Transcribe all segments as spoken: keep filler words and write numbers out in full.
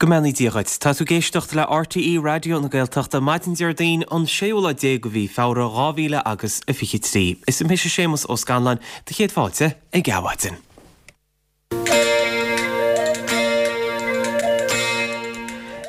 Go mbeannaí Dia dhuit. Tá tú ag éisteacht le RTÉ Raidió na Gaeltachta maidin Déardaoin an séú lá déag de mhí Feabhra dhá mhíle agus a fiche trí. Is mise Séamus Ó Scanláin do chéad fáilte ag Adhmhaidin.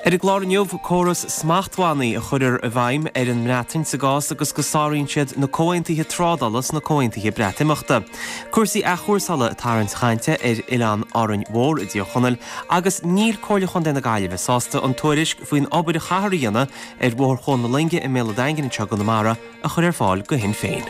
Ar an gclár inniu, córas smachtbhannaí a chuirfear i bhfeidhm ar an mBreatain sa gcás agus go sáraíonn siad na comhaontuithe trádála 's na comhaontuithe Breatimeachta. Cúrsaí athchúrsála ag tarraingt chainte ar oileán Árainn Mhór i dTír Chonaill agus níl Comhairle Chontae na Gaillimhe sásta an tuairisc faoin obair a chaithfear a dhéanamh ar Bhóthar Chuan na Loinge i mBéal an Daingin anseo i gConamara a chur ar fáil go Shinn Féin.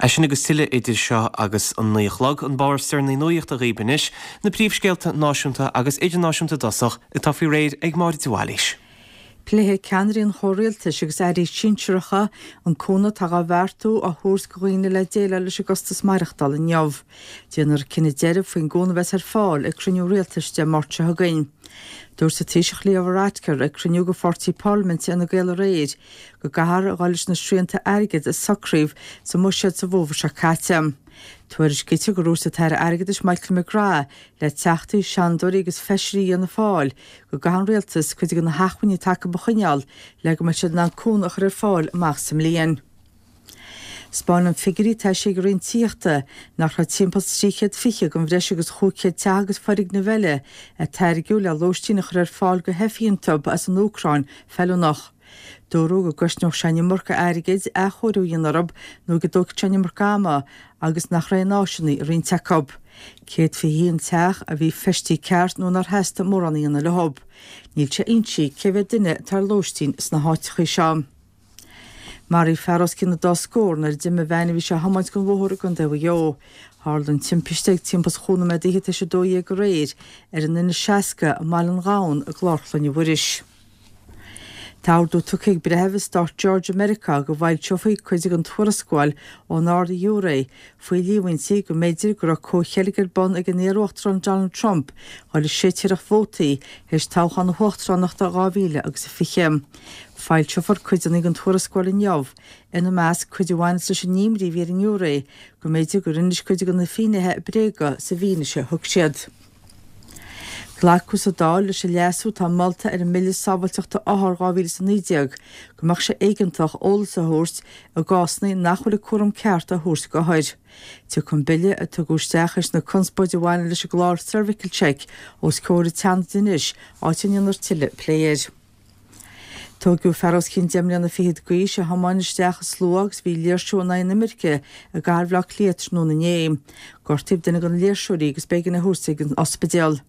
É sin agus tuilleadh idir seo agus an naoi a chlog, an barr is deireanaí nuachta dhaoibh anois, na príomhscéalta náisiúnta agus idirnáisiúnta i dtosach atá faoi réir ag Máire de Bhailís. Pléifidh ceannairí an chomhrialtais agus airí sinsearacha an cúnamh atá á bheartú a thabhairt do dhaoine le déileáil leis an gcostas maireachtála inniu. Déanfar cinneadh deiridh faoin gcúnamh a bheas ar fáil ag cruinniú rialtais Dé Máirt seo chugainn. Dúirt an Taoiseach Leo Varadkar ag cruinniú de pháirtí parlaiminte Fhine Gael aréir go gcaithfear a dhul leis na srianta airgid a socraíodh sa mbuiséad sa bhfómhar seo caite. Tuairiscítear gur dhúirt an tAire Airgeadais Michael McGrath le teachtaí, seanadóirí agus feisirí Fhianna Fáil go gcaithfidh an rialtas cuid de na hacmhainní atá acu a choinneáil le go mbeidh siad in ann cúnamh a chur ar fáil amach sa mbliain. 'Spáineann figiúirí atá eisithe ag an Roinn Tithíochta nach raibh timpeall trí chéad fiche den bhreis agus chúig chéad teach agus foirgneamh eile a tairgeadh le lóistín a chur ar fáil do theifigh iontu as an Úcráin feiliúnach. Dúradh go gcosnódh sé an iomarca airgid athchóiriú a dhéanamh orthu nó go dtógfadh sé an iomarca ama agus nach raibh aon áiseanna i roinnt acu. Céad fiche haon teach a bhí feistithe ceart nó nár theastaigh mórán a dhéanamh leo. Níl sé inste cé mhéad duine atá ar lóistín sna háiteacha seo. Maraíodh fear os cionn an dá scór nuair a d'imigh veain a bhí sé a thiomáint den bhóthar i gContae Mhaigh Eo. Tharla an timpiste ag timpeall chúig nóiméad d'fhichead tar éis a dó dhéag aréir ar an N seasca i mBaile an Ghabhann i gClár Chlainne Mhuiris. Tá ordú tugtha ag breitheamh i stát Georgia Meiriceá go bhfoilseofaí cuid den tuarascáil ón Ard-Ghiúiré faoi líomhaintí go mb'fhéidir go raibh comhcheilg ar bun ag an iar-uachtarán Donald Trump dhul ag séitéireacht vótaí théis toghchán na huachtaránachta dhá mhíle agus a fiche. Foilseofar cuideanna den tuarascáil inniu, ina measc cuid a bhaineas leis an imní a bhí ar an ngiúiré go mb'fhéidir gur inis cuid de na finnéithe bréaga sa bhfianaise a thug siad. Glacadh sa Dáil leis an leasú atá molta ar an mBille Sábháilteachta Othar dhá mhíle is a naoi déag go mbeadh sé éigeantach eolas a thabhairt i gcásanna nach bhfuil an cúram ceart á thabhairt d'othair. Tiocfaidh an bille, a tugadh isteach théis na conspóide a bhaineann leis an gclár Cervical Check, os comhair an tSeanaid anois, áit a ndéanfar tuilleadh plé air. Tóigeadh fear os cionn deich mbliana fichead d'aois a thiomáin isteach i slua agus a bhí ag léirsiú in aghaidh na imirce i gcathair Bhaile Átha Cliath tráthnóna inné. Gortaíodh duine de na léirseoirí agus b'éigean é a thabhairt ag an ospidéal.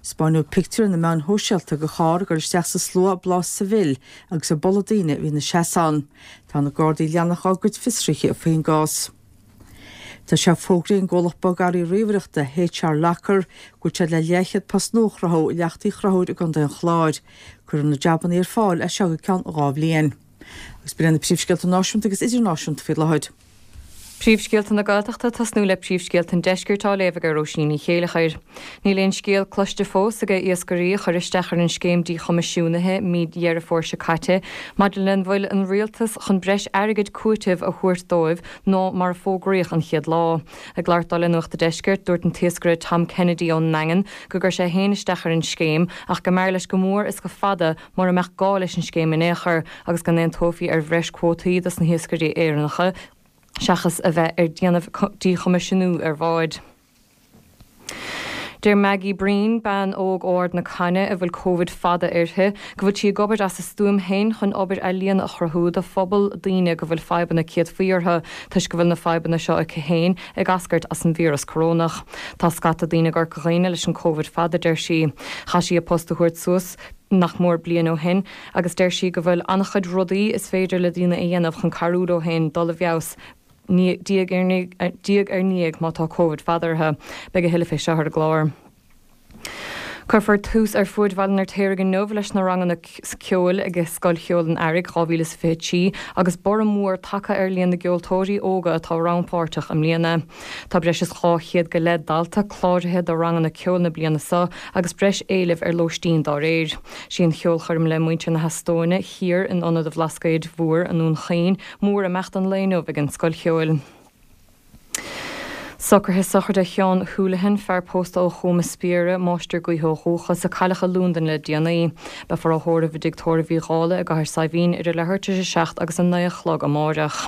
'Spáineadh pictiúr ar na meáin shóisialta de charr ag dul isteach sa slua ag bláth Seville agus ag bualadh daoine a bhí ina seasamh ann. Tá na Gardaí ag leanacht dá gcuid fiosruithe faoin gcás. Tá sé fógraithe ag an gcomhlacht bogearraí ríomhaireachta HR Locker go bhfuil siad le leathchéad post nua a chruthú i Leacht Uí Chonchúir i gContae an Chláir. Cuirfear na jabanna ar fáil as seo go ceann dhá bhliain. Agus b'in iad na príomhscéalta náisiúnta agus idirnáisiúnta faoi láthair. Príomhscéalta na Gaeltachta, tosnú le príomhscéalta an Deiscirt á léamh ag Róisín Ní Chéileachair. Níl aon scéal cloiste fós ag iascairí a chuir isteach ar an scéim díchoimisiúnaithe mí Dheireadh Fómhair seo caite maidir le an bhfuil an rialtas chun breis airgid cúitimh a thabhairt dóibh ná mar a fógraíodh an chéad lá. Ag labhairt dó le Nuacht an Deiscirt, dúirt an t-iascaire Tom Kennedy ón nDaingean go gcuir sé féin isteach ar an scéim ach go mb'fhearr leis go mór is go fada mura mbeadh gá leis an scéim in aon chor agus go n-aontófaí ar bhreis cuótaí dos na hiascairí Éireannacha seachas a bheith ar déanamh díchoimisiúnú ar bháid. Deir Maggie Breen, bean óg ó Ard na Caithne a bhfuil Covid fada uirthi, go bhfuil sí ag obair as a stuaim féin chun obair ealaíona a chruthú do phobal daoine go bhfuil fadhbanna céadfaí orthu toisc go bhfuil na fadhbanna seo aici féin ag eascairt as an víreas corónach. Tá scata daoine i gCorca Dhuibhne leis an Covid fada, deir sí. Chaith sí a post a thabhairt suas nach mór bliain ó shin agus deir sí go bhfuil an-chuid rudaí is féidir le daoine a dhéanamh chun cabhrú leo féin dul i bhfeabhas diaidh ar ndiaidh má tá Covid fada orthu. Beidh a thuilleadh fé seo ar an gclár. Cuirfear tús ar fuaid Bhaile an Fheirtéaraigh inniu leis na ranganna ceoil ag Scoil Cheoil an Earraigh dhá mhíle is fiche trí agus borradh mór tagtha ar líon na gceoltóirí óga atá rannpháirteach i mbliana. Tá breis is dhá chéad go leith dalta cláraithe do ranganna ceoil na bliana seo agus breis éilimh ar lóistín dá réir. Sí an cheolchoirm le muintir na hEastóine thiar in Ionad an Bhlascaoid Mhóir i nDún Chaoin mórimeacht an lae inniu ag an Scoil Cheoil. Socruithe sochraide Sheáin Houlihan, fear pósta ó Chom na Spiaire, máistir gaoithe ó dhúchas, a cailleadh i Londain le déanaí. Beifear á thórramh i dTigh Tórraimh Uí Dhálaigh i gCathair Saidhbhín idir leathuair tar éis a seacht agus a naoi a chlog amáireach.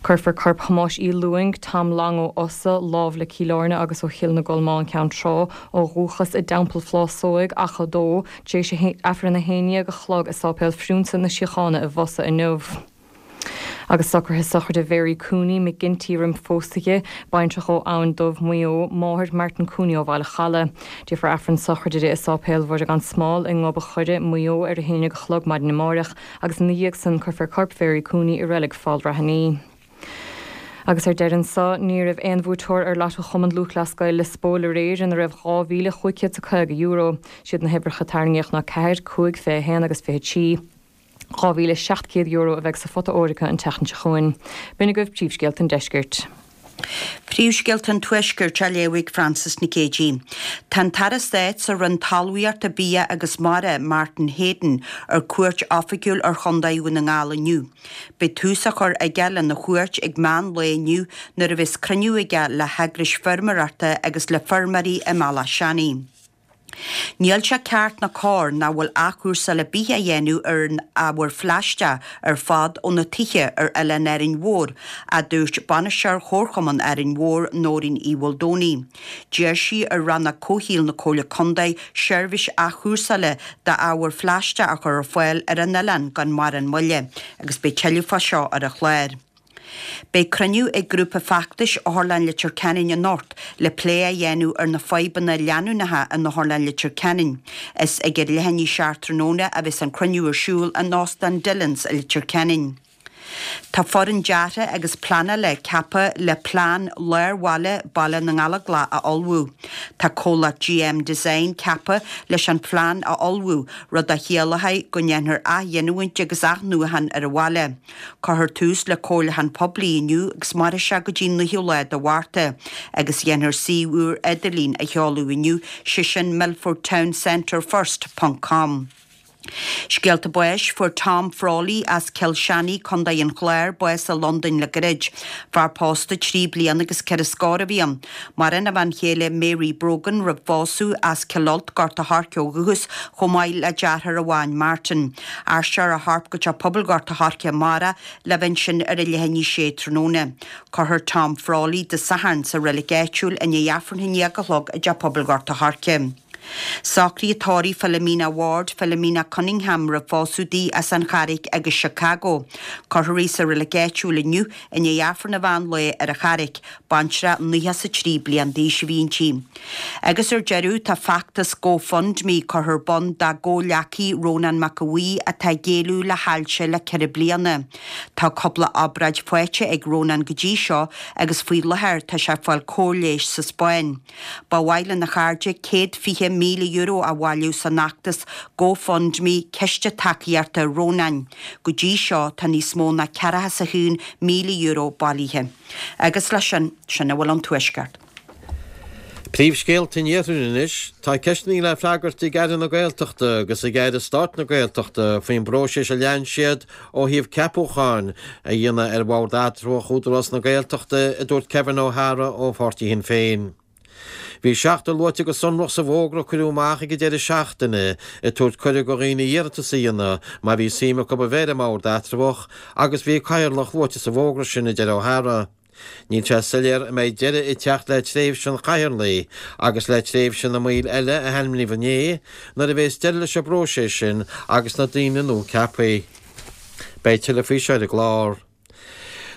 Cuirfear corp Thomáis Uí Lúing, Tom Long ó Osa, lámh le Cill Airne agus ó Chill na gColmán, Ceann Trá, ó dhúchas i dTeampall Phlásóig, Achadh Dó, tar éis Aifreann a haon déag a chlog i Sáipéal Phriúnsa na Síochána i bhFosa inniu. Agus socruithe sochraide Mhary Cooney, McGinty roimh phósadh di, baintreach ó Abhainn Dubh, Maigh Eo, máthair Martin Cooney ó Bhaile Chalaidh. Déanfar Aifreann sochraide di i Sáipéal Mhuire gan Smál i nGob a' Choire, Maigh Eo ar a haon déag a chlog maidin amáireach agus ina dhiaidh san cuirfear corp Mhary Cooney i Reilig Fál Raithní. Agus ar deireadh anso, ní raibh aon bhuaiteoir ar Lotto Chumann Lúthchleas Gael Lios Póil aréir ina raibh dhá mhíle chúig chéad is a caoga euro. Siad na huimhreacha a tarraingíodh ná ceathair, cúig, fiche a haon agus fiche trí. dhá mhíle seacht gcéad euro a bheidh sa phota óir acu an tseachtain seo chugainn. B'in agaibh príomhscéalta an deiscirt. Príomhscéalta an Tuaiscirt á léamh ag Frances Nic Géadaigh. Tá an tAire Stáit sa Roinn Talmhaíochta, Bia agus Mara, Martin Heydon, ar cuairt oifigiúil ar Chondae Dhún na nGall inniu. Beidh tús á chur aige lena chuairt ag meán lae inniu nuair a bheas cruinniú aige le heagrais feirmeoireachta agus le feirmeoirí i mBealach Seanaidh. Níl sé ceart ná cóir nach bhfuil athchúrsáil ar bith á dhéanamh ar an ábhar phlaisteach ar fad ó na tithe ar oileán Árainn Mhór, a dúirt bainisteoir Chomharchumann Árainn Mhór, Nóirín Uí Mhaoldomhnaigh. D'iarr sí ar Rannóg Comhshaoil na Comhairle Contae seirbhís athchúrsála d'ábhar phlaisteach a chur ar fáil ar an oileán gan mórán moille agus beidh tuilleadh fá seo ar an chlár. Beidh cruinniú ag grúpa feachtais Otharlann Leitir Ceanainn anocht le plé a dhéanamh ar na fadhbanna leanúnacha in Otharlann Leitir Ceanainn. Is ag a leath i ndiaidh a seacht tráthnóna a bheas an cruinniú ar siúl in Óstán Dillons i Leitir Ceanainn. Tá foireann deartha agus pleanála ceaptha le plean lár bhaile Baile na nGallóglach a ullmhú. Tá comhlacht GM Design ceaptha leis an phlean a ullmhú, rud a chiallóidh go ndéanfar athghiniúint agus athnuachan ar an bhaile. Cuirfear tús le comhairliúchán poiblí inniu agus mairfidh sé go dtí an naoú lá de Mhárta, agus dhéanfar suíomh úr idirlín a sheoladh inniu, sé sin Milford Town Centre First ponc com. Scéalta báis, Fuair Tom Frawley as Cill Seanaigh, Contae an Chláir, bás i Londain le gairid. Fear pósta trí bliana agus ceithre scór a bhí ann. Maireann a bhean chéile Mary Brogan roimh phósadh as Cill Ailt, Gort a' Choirce ó dhúchas, chomh maith le deartháir amháin, Martin. Aistreofar a chorp go Teach Pobail Ghort a' Choirce amárach le bheith ansin ar a leath i ndiaidh a sé tráthnóna. Cuirfear Tom Frawley Dé Sathairn sa reilig áitiúil i ndiaidh Aifreann a haon déag a chlog i dTeach Pobail Ghort a' Choirce. Socruithe tórraimh Philomena Ward, Philomena Cunningham roimh phósadh di as an Charraig agus Chicago. Cuirfear í sa reilig áitiúil inniu i ndiaidh Aifreann an mheán lae ar an Charraig. Baintreach nócha is a trí bliain d'aois a bhí inti. Agus ar deireadh, tá feachtas GoFundMe curtha ar bun dá gcomhghleacaí Rónán Mac Aodha Bhuí atá ag éalú le hailse le ceithre bliana. Tá cúpla obráid faighte ag Rónán go dtí seo agus faoi láthair tá sé ag fáil cóir leighis sa Spáinn. Ba mhaith lena chairde céad fiche míle euro a bhailiú san fheachtas GoFundMe Ciste Tacaíochta Rónáin. Go dtí seo tá níos mó ná ceathracha is a haon míle euro bailithe. Agus leis sin, sin a bhfuil ón Tuaisceart. Príomhscéalta an Iarthair anois. Tá ceisteanna le freagairt ag Aire na Gaeltachta agus ag Aire Stáit na Gaeltachta faoin bpróiseas a lean siad ó thaobh ceapúcháin a dhéanamh ar bhord eatramhach Údarás na Gaeltachta, a dúirt Kevin O'Hara ó pháirtí Shinn Féin. Bhí seachtar luaite go sonrach sa bhfógra a cuireadh amach ag an deireadh seachtaine ag tabhairt cuireadh do dhaoine iarratas a dhéanamh má bhí suim acu a bheith ar an mbord eatramhach agus bhí cathaoirleach luaite sa bhfógra sin, a deir O'Hara. Níl sé soiléir an mbeidh deireadh ag teacht le tréimhse an chathaoirligh agus le tréimhse na mbaill eile a hainmníodh inné nuair a bheas deireadh leis an bpróiseas sin agus na daoine nua ceaptha. Beidh tuilleadh faoi seo ar an gclár.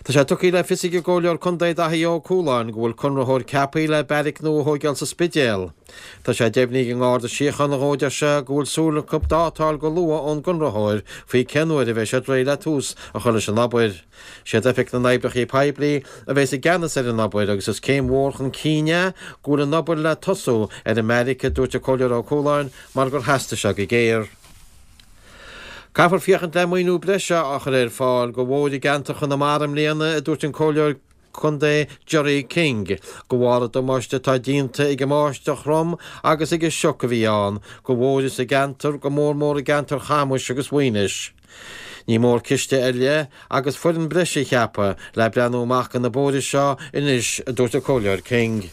Tá sé tugtha le fios ag an gComhairleoir Contae Daithí Ó Cualáin go bhfuil conraitheoir ceaptha le beairic nua a thóigeáil sa Spidéal. Tá sé deimhnithe ag an nGarda Síochána dhó, a deir sé, go bhfuil súil acu dáta a fháil go luath ón gconraitheoir faoi cén uair a bheidh siad réidh le tús a chur leis an obair. Siad Oifig na nOibreacha Poiblí a bheas i gceannas ar an obair agus is céim mhór chun cinn é go bhfuil an obair le tosú ar an mbeairic, a dúirt an Comhairleoir Ó Cualáin, mar gur theastaigh sé go géar. Caithfear féachaint le maoiniú breise a chur ar fáil do bhóithre i gceantar Chonamara i mbliana, a dúirt an Comhairleoir Contae Gerry King, de bharr an damáiste atá déanta ag an mbáisteach throm agus ag an sioc a bhí ann do bhóithre sa gceantar, go mór mór i gceantar Chamuis agus Mhaínis. Ní mór ciste ar leith agus foireann breise a cheapadh le breathnú amach do na bóithre seo anois, a dúirt an Comhairleoir King.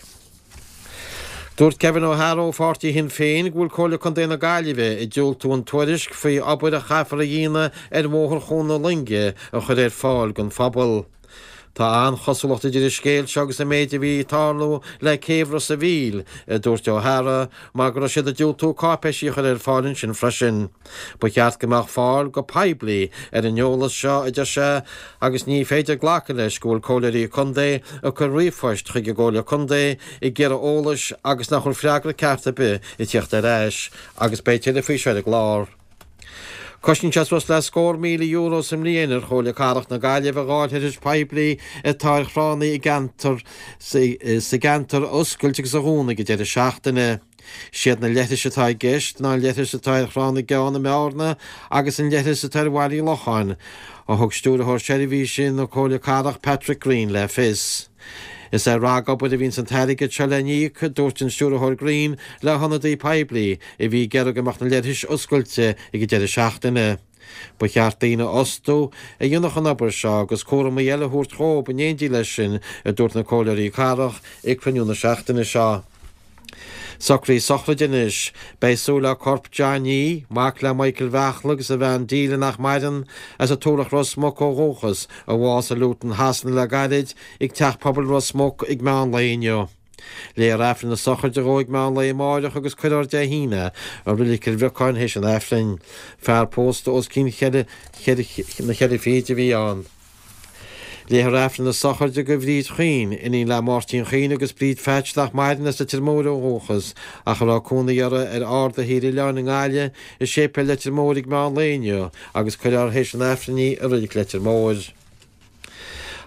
Dúirt Kevin O'Hara ó pháirtí Shinn Féin go bhfuil Comhairle Contae na Gaillimhe ag diúltú an tuairisc faoi obair a chaithfear a dhéanamh ar Bhóthar Chuan na Loinge a chur ar fáil don phobal. Tá an-chosúlacht idir an scéal seo agus an méid a bhí ag tarlú le céibh Ros a' Mhíl, a dúirt O'Hara, mar go raibh siad ag diúltú cáipéisí a chur ar fáil ansin freisin. Ba cheart go mbeadh fáil go poiblí ar an eolas seo, a deir sé, agus ní féidir glacadh leis go bhfuil comhairleoirí contae ag cur ríomhphoist chuig an gComhairle Contae ag iarraidh eolais agus nach bhfuil freagra ceart ar bith ag tíocht ar ais, agus beidh tuilleadh faoi seo ar an gclár. Cosnaíonn sé suas le scór míle euro sa mbliain ar Chomhairle Cathrach na Gaillimhe dhá leithreas poiblí atá ar thránna i gceantar sa gceantar a oscailt agus a dhúnadh ag an deireadh seachtaine. Siad na leithris atá i gceist ná an leithreas atá ar Thrá na gCeann i mBearna agus an leithreas atá ar Bhaile Uí Locháin, a thug Stiúrthóir Seirbhísí na Comhairle Cathrach Patrick Greene le fios. Is ar ragobair a bhíonns an t-airgead seo le n-íoc, a dúirt an Stiúrthóir Greene le hionadaí poiblí a bhí ag iarraidh go mbeadh na leithris oscailte ag an deireadh seachtaine. Ba cheart daoine a fhostú a dhéanfadh an obair seo agus cúramaí eile a thabhairt dhóib in éindí leis sin, a dúirt na comhairleoirí cathrach ag cruinniú na seachtaine seo. Socruithe sochraide anois. Beidh súil le corp Johnny, mac le Michael Bheachla agus a bhean Delia nach maireann, as an Tulach Ros Muc ó dhúchas, a bhásaigh i Luton Shasana le gairid, ag Teach Pobail Ros Muc ag meán lae inniu. Léifear Aifreann na sochraide dhó ag meán lae amáireach agus cuirfear Dé hAoine i Reilig Chill Bhriocáin théis an Aifrinn. Fear pósta os cionn cheithre na ceithre fichid a bhí ann. Léifear Aifreann na sochraide do Bhríd Chaoin, iníon le Máirtín Chaoin agus Bríd Pheaits nach maireann as Leitir Móir ó dhúchas ach a raibh cónaí orthu ar Ard a' Thír Oileáin i nGaillimh i Séipéal Leitir Móir ag meán lae inniu agus cuirfear théis an Aifrinn í i Reilig Leitir Móir.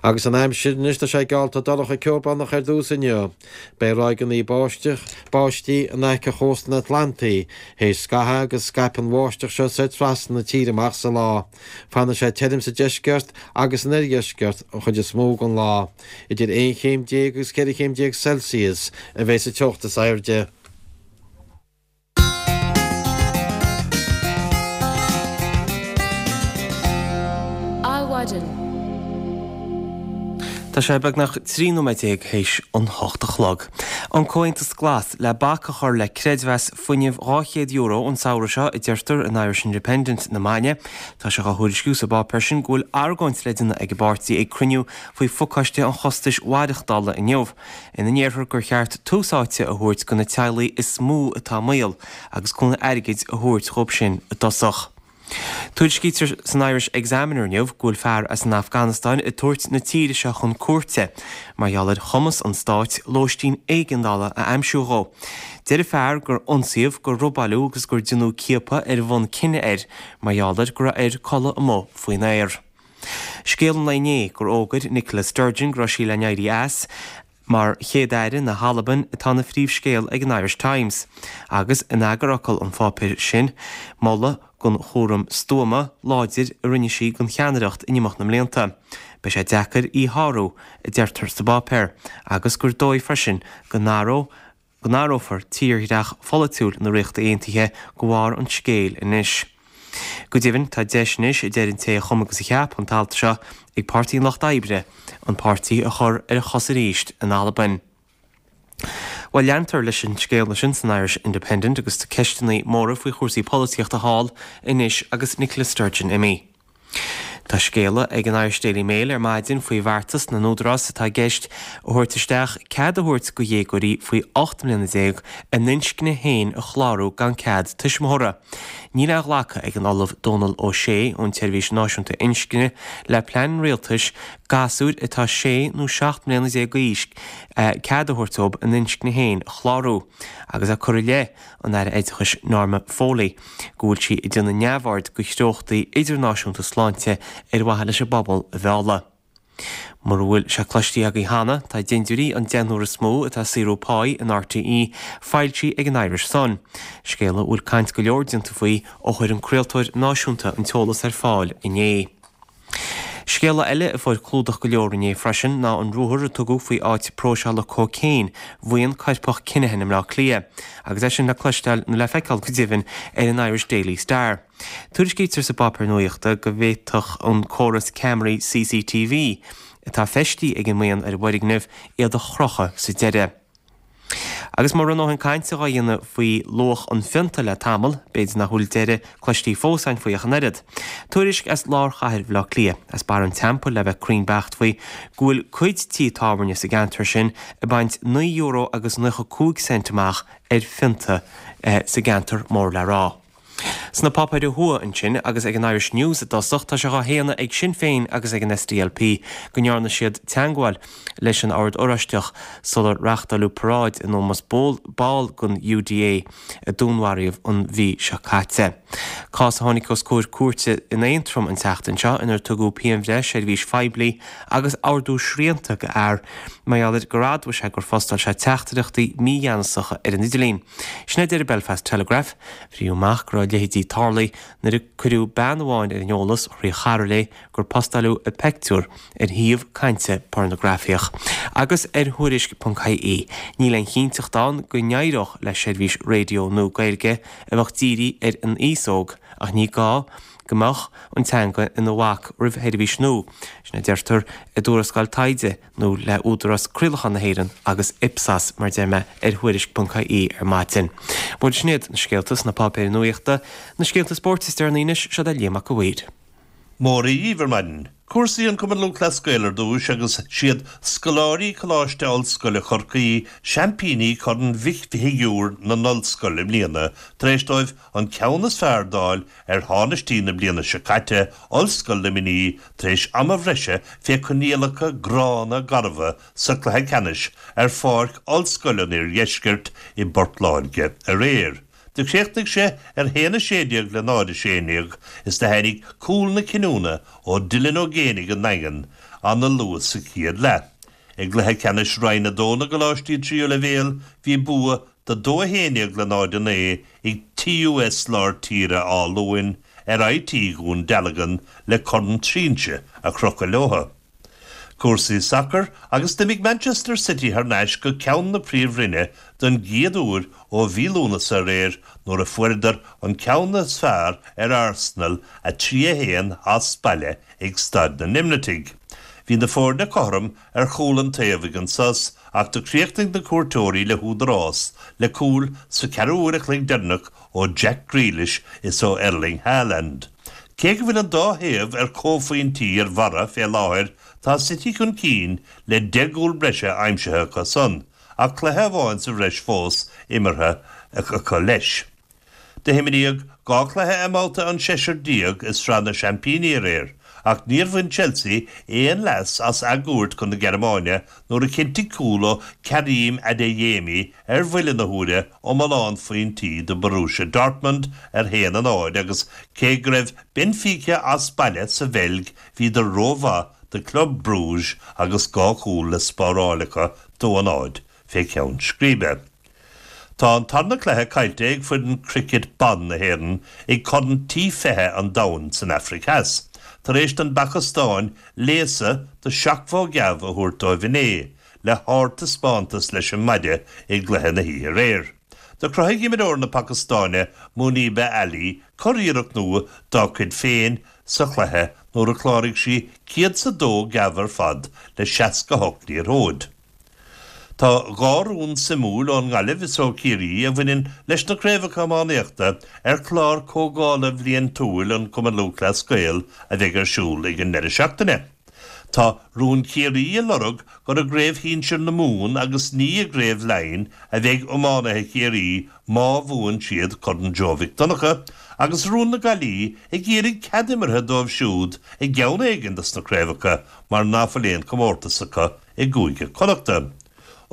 Agus an aimsir anois, tá sé geallta dorcha ceobhránach ar dtús inniu. Beidh ráigeanna báisteach, báistí in aice chósta an Atlantaigh théis scaitheamh agus scaipfidh an bháisteach seo soir trasna na tíre amach sa lá. Fanfaidh sé tirim sa deisceart agus san oirdheisceart an chuid is mó den lá. Idir aon chéim déag agus ceithre chéim déag Celsius a bheidh sa teocht is airde. Adhmhaidin. Tá sé beagnach trí nóiméad déag théis an hocht a chlog. An Comhaontas Glas le bac a chur le creidmheas fuinnimh dhá chéad euro an samhradh seo, a deirtear in Irish Independent na maidine. Tá sé á thuairisciú sa bpáipéar sin go bhfuil argóint le déanamh ag an bpáirtí ag cruinniú faoi phacáiste an chostais mhaireachtála inniu, ina ndéarfar gur cheart tús áite a thabhairt do na teaghlaigh is mó atá i mbaol agus cúnamh airgid a thabhairt dhóibh sin i dtosach. Tuairiscítear san Irish Examiner inniu go bhfuil fear as an Afganastáin ag tabhairt na tíre seo chun cúirte mar gheall ar chumas an stáit lóistín éigeandála a aimsiú dhó. Deir an fear gur ionsaíodh, gur robáileadh agus gur deineadh ciapadh ar bhonn cine air mar gheall ar go raibh air codladh amuigh faoin aer. Scéal an lae inné gur fhógair Nicola Sturgeon go raibh sí le n-éirí as mar Chéad-Aire na hAlban atá ina phríomhscéal ag an Irish Times, agus in eagarfhocal an pháipéir sin, moladh don chúram stuama, láidir a rinne sí den cheannaireacht in imeacht na mblianta. Beidh sé deacair í a shárú, a deirtear sa bpáipéar, agus gur dóigh freisin go n-athródh go n-athrófar tírdhreach pholaitiúil na Ríochta Aontaithe de bharr an scéil anois. Go deimhin, tá deis anois, a deir an té a chum agus a cheap an t-alt seo, ag Páirtí an Lucht Oibre an páirtí a chur ar a chosa arís in Albain. Bhuel, leantar leis an scéal sin san Irish Independent agus tá ceisteanna móra faoi chúrsaí polaitíochta thall anois agus Nicola Sturgeon imithe. Tá scéala ag an Irish Daily Mail ar maidin faoi bheartas na n-údarás atá i gceist a thabhairt isteach cead a thabhairt do dhéagóirí faoi ocht mbliana déag a n-inscne féin a chlárú gan cead tuismitheora. Níl á ghlacadh ag an Ollamh Dónal Ó Sé ón tSeirbhís Náisiúnta Inscne le plean an rialtais gasúir atá sé nó seacht mbliana déag d'aois cead a thabhairt dóibh a n-inscne féin a chlárú agus é curtha i leith an Aire Oideachais Norma Foley go bhfuil sí ag déanamh neamhaird de threochtaí idirnáisiúnta sláinte ar mhaithe leis an bpobal a mhealladh. Mura bhfuil sé cloiste agaibh cheana, tá dintiúirí an deichniúr is mó atá ag saothrú páí in RTÉ foilsithe ag an Irish Sun, scéal a bhfuil caint go leor déanta faoi ó chuir an craoltóir náisiúnta an t-eolas ar fáil inné. Scéala eile a fuair clúdach go leor inné freisin ná an ruathar a tugadh faoi áit próiseála cócaon bhuíon coirpeach Kinahan i mBleá Cliath, agus é sin le cloisteáil nó le feiceáil go deimhin ar an Irish Daily Star. Tuairiscítear sa bpáipéar nuachta go bhféadfadh an córas ceamaraí CCTV atá feistithe ag an mbuíon ar an bhfoirgneamh iad a chrochadh sa deireadh. Agus mura raibh a ndóthain cainte á dhéanamh faoi luach an phionta le tamall, b'fhéidir nach bhfuil deireadh cloiste fós againn faoi ach an oiread. Tuairisc as lár chathair Bhaile Átha Cliath, as Barra an Teampaill le bheith cruinn beacht faoi, go bhfuil cuid tithe tábhairne sa gceantar sin ag baint naoi euro agus naocha cúig cent amach ar phionta sa gceantar mór le rá. Sna páipéir ó thuaidh ansin agus ag an Irish News i dtosach, tá sé dhá shéanadh ag Sinn Féin agus ag an SDLP go ndearna siad teagmháil leis an Ord Oráisteach sular reáchtáileadh paráid in ómós ball den UDA a dúnmharaíodh an mhí seo caite. Cás a tháinig os comhair cúirte in Aontroim an tseachtain seo inar tugadh pianbhreith seirbhís phoiblí agus ordú srianta go fhear mar gheall ar gur admhaigh sé gur phostáil sé teachtaireachtaí mígheanasacha ar an idirlíon. Sin a deir an Belfast Telegraph. Frítheadh amach go raibh a leithéidí tarlaithe nuair a cuireadh bean amháin ar an eolas thrí chara léi gur postáileadh a peictiúr ar shuíomh cainte pornagrafaíoch. Agus ar Thuairisc ponc ie, níl aon chinnteacht ann go n-éireodh le seirbhís raidió nua Gaeilge a bheadh dírithe ar an aos óg ach ní gá go mbeadh an teanga ina bhac roimh sheirbhís nua, sin a deirtear i dtuarascáil taighde nua le Údarás Craolacháin na hÉireann agus Ipsos, mar a deir mé, ar Thuairisc ponc ie ar maidin. Bhuel, sin iad na scéalta sna páipéir nuachta, na scéalta spóirt is deireanaí anois, seo é Liam Mac a' Mhaoir. Móra dhíbh ar maidin. Cúrsaí an Cumann Lúthchleas Gael ar dtúis agus siad scoláirí Coláiste Ollscoile Chorcaí seaimpíní Chorn Mhic Shigiúir na nOllscol i mbliana tar éis dóibh an ceann is fearr d'fháil ar thánaistí na bliana seo caite, Ollscoil Luimnigh, tar éis ama bhreise fé coinníollacha gránna garbha sa chluiche ceannais ar pháirc Ollscoil an Iardheiscirt i bPort Láirge aréir. Do chríochnaigh sé ar haon a sé déag le náid a sé déag is do tháinig cúl na cinniúna ó Dylan Ó Géibheannaigh an nDaingean ana luath sa chéad leath. I gcluiche ceannais Roinn a dó na gColáistí Tríú Leibhéal bhí bua de dó a haon déag le náid a naoi ag TUS Lár Tíre Áth Luain ar IT Dhún Dealgan le corn trinse a chrochadh leotha. Cúrsaí sacair agus d'imigh Manchester City thar n-ais go ceann na Príomhroinne don gcéad uair ó mhí Lúnasa aréir nuair a fuaireadar an ceann is fearr ar Arsenal a trí a haon as baile ag Staid na nImlitigh. Bhí na foirne cothrom ar chúl an taobh ag an sos ach do chríochnaigh na cuairteoirí le húdarás le cúil sa cheathrú uair a chloig deireanach ó Jack Grealish is ó Erling Haaland. Cé go bhfuil an dá thaobh ar comhphointí ar bharra fé láthair, tá City chun cinn le deich gcúl breise aimsithe acu san, ach cluiche amháin sa bhreis fós imeartha acu leis. Do himríodh dhá chluiche i mbabhta an seisear déag i Sraith na Seaimpíní aréir, ach níor bhain Chelsea aon leas as a gcuairt chun na Gearmáine nuair a chinntigh cúl ó Karim Adeyemi ar bhuille na huaire iomlán phointí do Borussia Dortmund ar haon a náid agus cé go raibh Benfica as baile sa Bheilg bhíodar rómhaith do Club Brugge agus dhá chúl le spáráil acu dó a náid fé cheann scríbe. Tá an tarna cluiche caillte ag foireann cricket ban na hÉireann ag Corn T fiche an Domhain san Afraic Theas, tar éis don bPacastáin léasadh de sheachtmhó geábh a thabhairt dóibh inné, le hardtaispeántas leis an maide i gcluiche na hoíche aréir. Do chruthaigh imreoir na Pacastáine, Muneeba Ali, curiarracht nua dá cuid féin sa chluiche nuair a chláraigh sí céad 's a dó geábh ar fad le seasca hocht liathróid. Tá dhá rún suimiúil ón nGaillimh is ó Chiarraí a bhaineann leis na craobhacha iománaíochta ar chlár comhdhála bhliantúil an Chumann Lúthchleas Gael a bheidh ar siúl ag an ndeireadh seachtaine. Tá rún Chiarraí ag lorg gur i gcraobh shinsir na Mumhan agus ní i gcraobh Laighean a bheidh iománaithe Chiarraí má bhuann siad Corn Joe Mhic Donncha agus rún na Gaillimhe ag iarraidh cead imeartha dóibh siúd i gceann éigin dos na craobhacha mar ná fuil aon chomórtas acu i gCúige Connachta.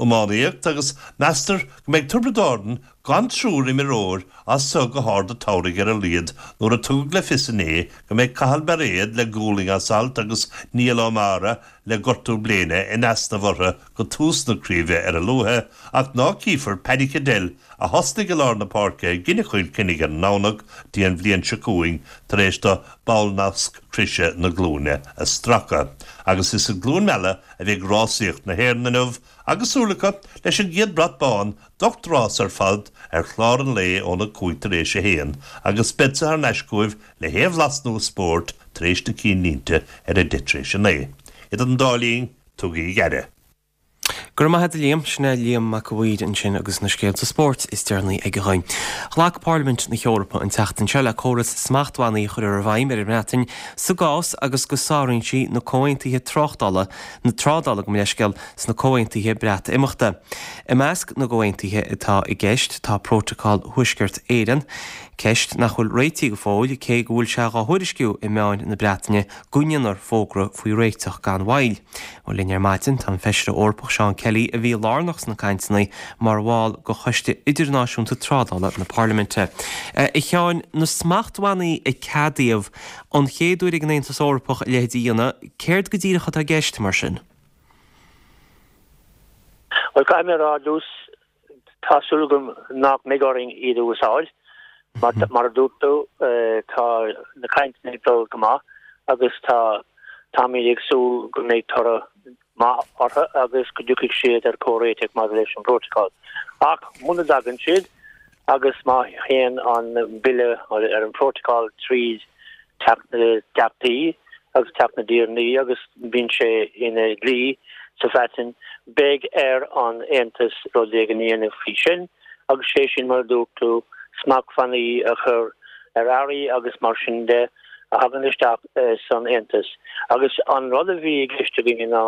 Iománaíocht agus meastar go mbeidh Tiobraid Árann gan triúr imreoir as seo go hArd an tSamhraidh ar a laghad nuair a tugadh le fios inné go mbeidh Cathal Bairéad le gualainn as alt agus Niall Ó Meára le gortú bléine in easnamh orthu go tús na craoibhe ar a luaithe ach ná cífear Paddy Cadell a thosnaigh i lár na páirce i gcoinne Chill Chainnigh ar an nDomhnach go dtí an bhliain seo chugainn tar éis dó ballnasc croise na glúine a stracadh. Agus is i gCluain Meala a bheidh rásaíocht na hÉireann inniu agus súil acu leis an gcéad brat bán d'ocht rás ar fad ar chlár an lae óna cúig tar éis a haon agus beidh thar n-ais chugaibh le haon bhlas nua spóirt tar éis na cinnlínte ar a deich tar éis a naoi. Idir an dá linn, tugaigí aire. Go raibh maith agat a Liam, sin é Liam Mac a' Mhaoir ansin agus na scéalta spóirt is deireanaí aige dhúinn. Ghlac Parlaimint na hEorpa an tseachtain seo le córas smachtbhannaí a chur i bhfeidhm ar an mBreatain sa gcás agus go sáraíonn sí na comhaontuithe tráchtála na trádála gabh mo leithscéal sna comhaontuithe Breatimeachta. I measc na gcomhaontuithe atá i gceist tá Prótacal Thuaisceart Éireann, ceist nach bhfuil réitithe go fóill cé go bhfuil sé á thuairisciú i meáin na Breataine go ndéanfar fógra faoi réiteach gan mhoill. Ó linn ar maidin tá an feisire Eorpach Seán Kelly a bhí lárnach sna cainteanna mar bhall de Choiste Idirnáisiúnta Trádála na Parlaiminte. A Sheáin na smachtbhannaí a ceadaíodh an chéad uair ag an Aontas Eorpach a leithéid a dhéanamh, céard go díreach atá i gceist mar sin? Well caithfidh mé a rá ar dtús tá súil agam nach mbeidh orainn iad a úsáid. Mar mar a dúirt tú tá na cainteanna ag dul go maith agus tá táimid ag súil go mbeidh toradh maith orthu agus go dtiocfaidh siad ar comhréiteach maidir leis an bprótacal. Ach muna dtagann siad agus má théann an bille ar an bprótacal tríd Teach na dTeachtaí agus Teach na dTiarnaí agus bíonn sé ina dhlí sa Bhreatain, beidh ar an Aontas rud éigin a dhéanamh faoi sin agus sé sin mar a dúirt tú, smachtbhannaí a chur ar earraí agus mar sin de a thagann isteach san Aontas. Agus an rud a bhí i gceist againn ná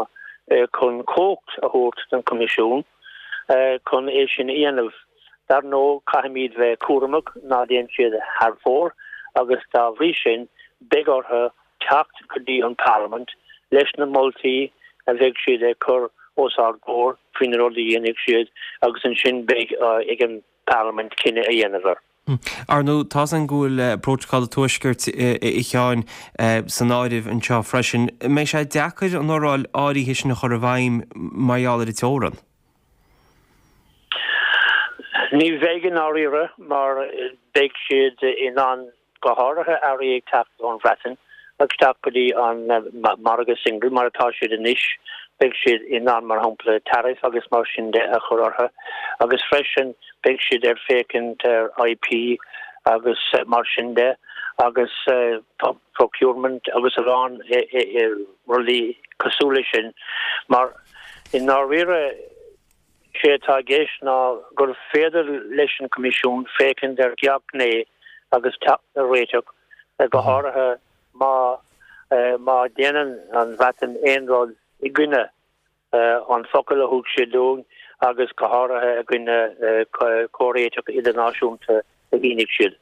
chun cumhacht a thabhairt don Choimisiún chun é sin a dhéanamh. Dar ndóigh, caithfimid bheith cúramach ná déan siad thar fóir agus dá bhrí sin beidh orthu teacht go dtí an Pharlaimint leis na moltaí a bheidh siad ag cur os ár gcomhair faoi na rudaí a dhéanfaidh siad agus ansin beidh ag an Parlaimint cinneadh a dhéanamh air. Ar ndóigh, tá's againn go bhfuil Prótacal an Tuaiscirt, a Sheáin, san áireamh anseo freisin. An mbeidh sé deacair an fhoráil áirithe sin a chur i bhfeidhm mar gheall ar an teorainn? Ní bheidh i ndáiríre mar beidh siad in ann go háirithe earraí ag teacht ón Bhreatain isteach go dtí an margadh single mar atá siad anois, beidh siad in ann, mar shampla, tariff agus mar sin de a chur orthu agus freisin beidh siad ar féachaint ar IP agus mar sin de agus procurement agus a lán rudaí cosúil leis sin mar i ndáiríre Sé atá i gceist ná gur féidir leis an Coimisiún féachaint ar gach gné agus teacht ar réiteach, go háirithe má má dhéanann an Bhreatain aon rud i gcoinne an focal a thug siad dúinn agus go háirithe i gcoinne comhréiteach idirnáisiúnta a shínigh siad.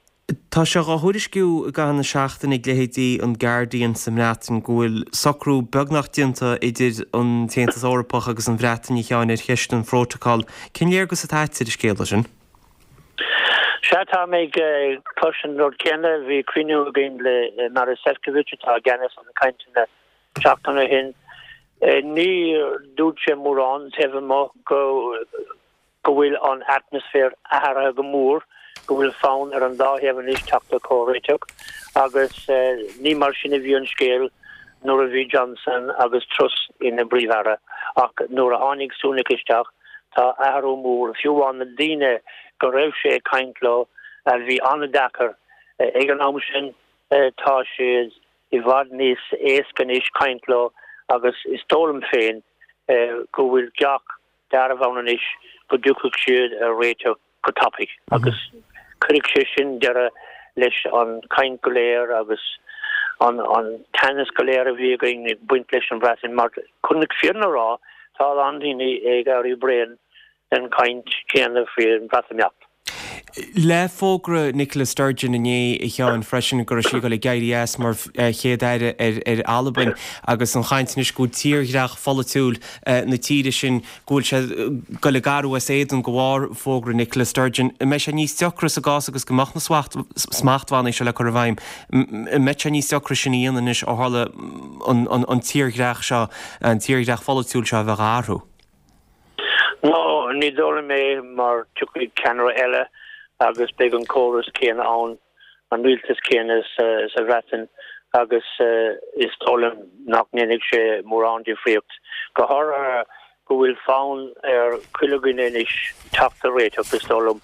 Tá sé á thuairisciú i gcaitheamh na seachtaine ag leithéidí an Guardian sa mBreatain go bhfuil socrú beagnach déanta idir an tAontas Eorpach agus an Bhreatain, a Sheáin, ar cheist an phrótacail. Cén léargas atá agat ar an scéala sin? Sea, tá mé ag cloisint an rud céanna. Bhí cruinniú againn le Maros Sefcovic, atá i gceannas ar na cainteanna, seachtain ó shin. Ní dúirt sé mórán taobh amuigh go. go bhfuil an atmaisféar athraithe go mór, go bhfuil fonn ar an dá thaobh anois teacht ar chomhréiteach agus ní mar sin a bhí an scéal nuair a bhí Johnson agus Truss ina bPríomh-Aire ach nuair a tháinig Sunak isteach tá athrú mór, fiú amháin na daoine go raibh sé ag caint leo a bhí an-deacair ag an am sin tá siad i bhfad níos éasca anois caint leo agus is dóigh liom féin go bhfuil gach dearbh ann anois go dtiocfaidh siad ar réiteach go tapaidh agus cuirfidh sé sin deireadh leis an chaint go léir agus an an teannas go léir a bhí againn ag baint leis an Bhreatain mar chun na fírinne a rá tá a lán daoine ag éirí bréan den chaint chéanna faoin Bhreatimeacht. Le fógra Nicola Sturgeon inné a Sheáin freisin go raibh sí ag dul ag éirí as mar chéad aire ar ar Albain agus an chaint anois go bhfuil tírdhreach pholaitiúil na tíre sin go bhfuil sé ag dul ag athrú as éadan de bharr fógra Nicola Sturgeon. An mbeidh sé níos deacra sa gcás agus go mbeadh na smachtbhannaí seo le cur i bhfeidhm, an mbeidh sé níos deacra sin a dhéanamh anois ó tharla an tírdhreach seo, an tírdhreach pholaitiúil seo a bheith á athrú? No, ní dóigh liom é mar tiocfaidh ceannaire eile agus beidh an córas céanna ann, an rialtas céanna sa Bhreatain agus is dóigh liom nach ndéanfaidh sé mórán difríocht, go háirithe go bhfuil fonn ar chuile dhuine anois teacht ar réiteach, is dóigh liom,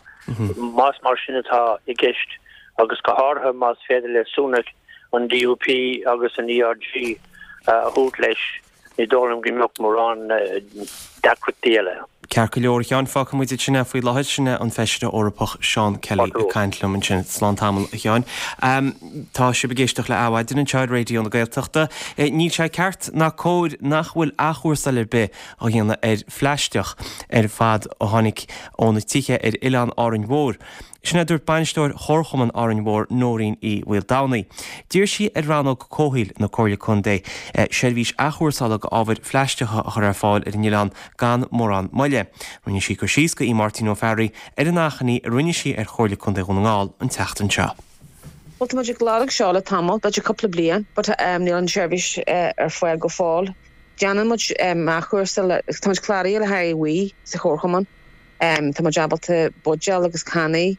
más mar sin atá i gceist agus go háirithe más féidir le Sunak an DUP agus an ERG a thabhairt leis. Ní dóigh liom go mbeadh mórán deacrachtaí eile. Ceart go leor, a Sheáin, fágfaidh muid ansin é faoi láthair. Sin é an Feisire Eorpach Seán Kelly ag caint liom ansin. Slán tamall, a Sheáin. Tá sibh ag éisteacht le Adhmhaidin anseo ar Raidió na Gaeltachta. Níl sé ceart ná cóir nach bhfuil athchúrsáil ar bith á dhéanamh ar phlaisteach ar fad a tháinig ó na tithe ar oileán Árainn Mhór. Sin é a dúirt bainisteoir Chomharchumann Árainn Mhór, Nóirín Uí Mhaoldomhnaigh. D'iarr sí ar Rannóg Comhshaoil na Comhairle Contae seirbhís athchúrsála d'ábhair phlaisteacha a chur ar fáil ar an oileán gan mórán moille. Rinne sí cur síos go Máirtín Ó Fearraigh ar an achainí a rinne sí ar Chomhairle Contae Dhún na nGall an tseachtain seo. Bhuel, tá muid ag lorg seo le tamall, b'fhéidir cúpla bliain, but níl an tseirbhís ar fáil go fóill. Déanann muid athchúrsáil, tá muid cláraithe le haghaidh WEEE sa chomharchumann. Tá muid ábalta buidéil agus cannaí,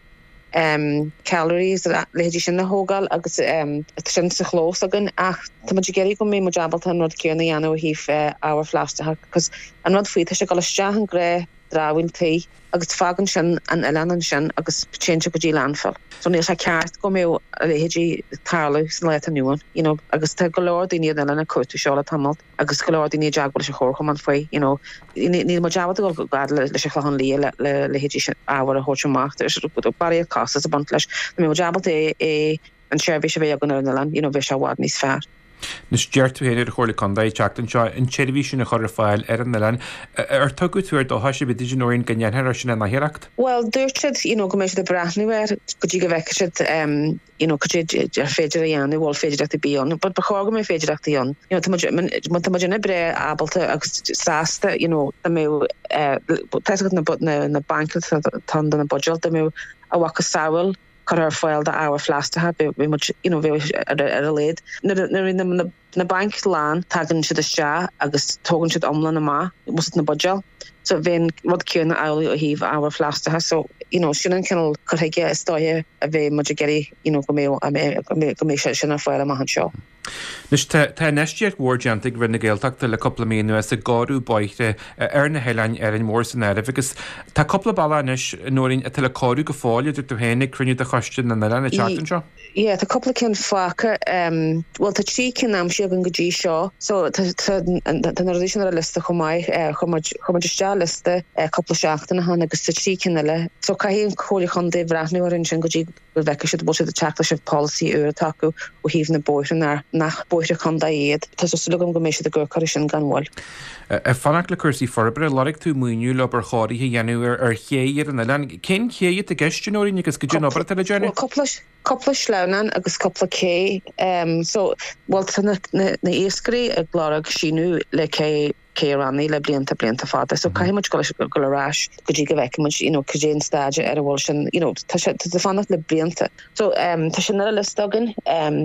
cutlery agus a leithéidí sin a thógáil agus tá sin sa chlós againn ach tá muid ag iarraidh go mbeidh muid ábalta an rud céanna a dhéanamh ó thaobh ábhar phlaisteacha cos an rud faoi tá sé ag dul isteach in gnáth dramhaíl tí agus fágann sin an oileán ansin agus téann sé go dtí landfill. So níl sé ceart go mbeadh a leithéidí ag tarlú san lá atá inniu ann, you know, agus tá go leor daoine ar an oileán ag cuartú seo le tamall agus go leor daoine i dteagmháil leis an chomharchumann faoi, you know, níl muid ábalta dul chomh fada leis an Chlochán Liath le le leithéidí sin ábhar a thabhairt amach, barraíocht costas ag baint leis. Dá mbeadh muid ábalta é é an tseirbhís a bheith againn ar an oileán, you know, bheadh sé i bhfad níos fearr. Anois d'iarr tú féin ar an Chomhairle Contae an tseachtain seo an tseirbhís sin a chur ar fáil ar an oileán. Ar tugadh tuar dóchais ar bith duit, a Nóirín, go ndéanfar é sin in athuair? Bhuel, dúirt siad, you know, go mbeidh siad ag breathnú air go dtí go bhfeicfidh siad, um, you know, cad é ar féidir a dhéanamh, bhfuil féidireachtaí ar bith ann. But ba chóir go mbeadh féidireachtaí ann. You know, tá muid, tá muid ina breá ábalta agus sásta, you know, dá mbeadh, eh, tá a fhios agat na, na, na bainc atá ann do na buidéil, dá mbeadh a mhacasamhail curtha ar fáil d'ábhair phlaisteacha, bheadh muid, you know, bheadh ar a laghad. Nuair a bhíonn na bainc lán, tagann siad isteach agus tógann siad iomlán amach most na buidéil. So bheadh an rud céanna amhlaidh ó thaobh ábhair phlaisteacha. So, you know, sin an cineál cur chuige is dóiche a bheidh muid ag iarraidh, you know, go mbeadh, go mbeadh sé sin ar fáil amach anseo. Anois tá tá infheistíocht mhór déanta ag Roinn na Gaeltachta le cúpla mí anuas i gcóiriú bóithre ar na hoileáin, Árainn Mhór san áireamh, agus tá cúpla bealach anois, a Nóirín, atá le cóiriú go fóill, a dúirt tú féin ag cruinniú de Choiste na nOileán an tseachtain seo. Yeah, tá cúpla ceann fágtha. Bhuel, tá trí cinn aimsithe againn go dtí seo. So tá tá tá na rudaí sin ar an liosta chomh maith. Chuir muid chuir muid isteach liosta cúpla seachtain ó shin agus tá trí cinn eile. So caithfidh an Chomhairle Chontae bhreathnú orthu ansin go dtí go bhfeicfidh siad bhfuil siad ag teacht leis an polasaí úr atá acu ó thaobh na bóithre nach nach bóithre contae iad. Tá súil agam go mbeidh siad ag amharc orthu sin gan mhoill. Ag fanacht le cúrsaí forbartha, lorg tú maoiniú le obair chóirithe a dhéanamh ar ar ché ar an oileán. Cén ché atá i gceist, a Nóirín, agus cad é an obair atá le déanamh? Bhuel, cúpla cúpla sleamhnán agus cúpla cé. So, bhuel tá na na na iascairí ag lorg síneadh le cé Cé Rannaí le blianta blianta fada so caithfidh muid dul dul ar ais go dtí go bhfeicfidh muid you know cad é an staid ar a bhfuil sin you know tá sé tá fanacht le blianta. So um, tá sin ar an liosta againn um,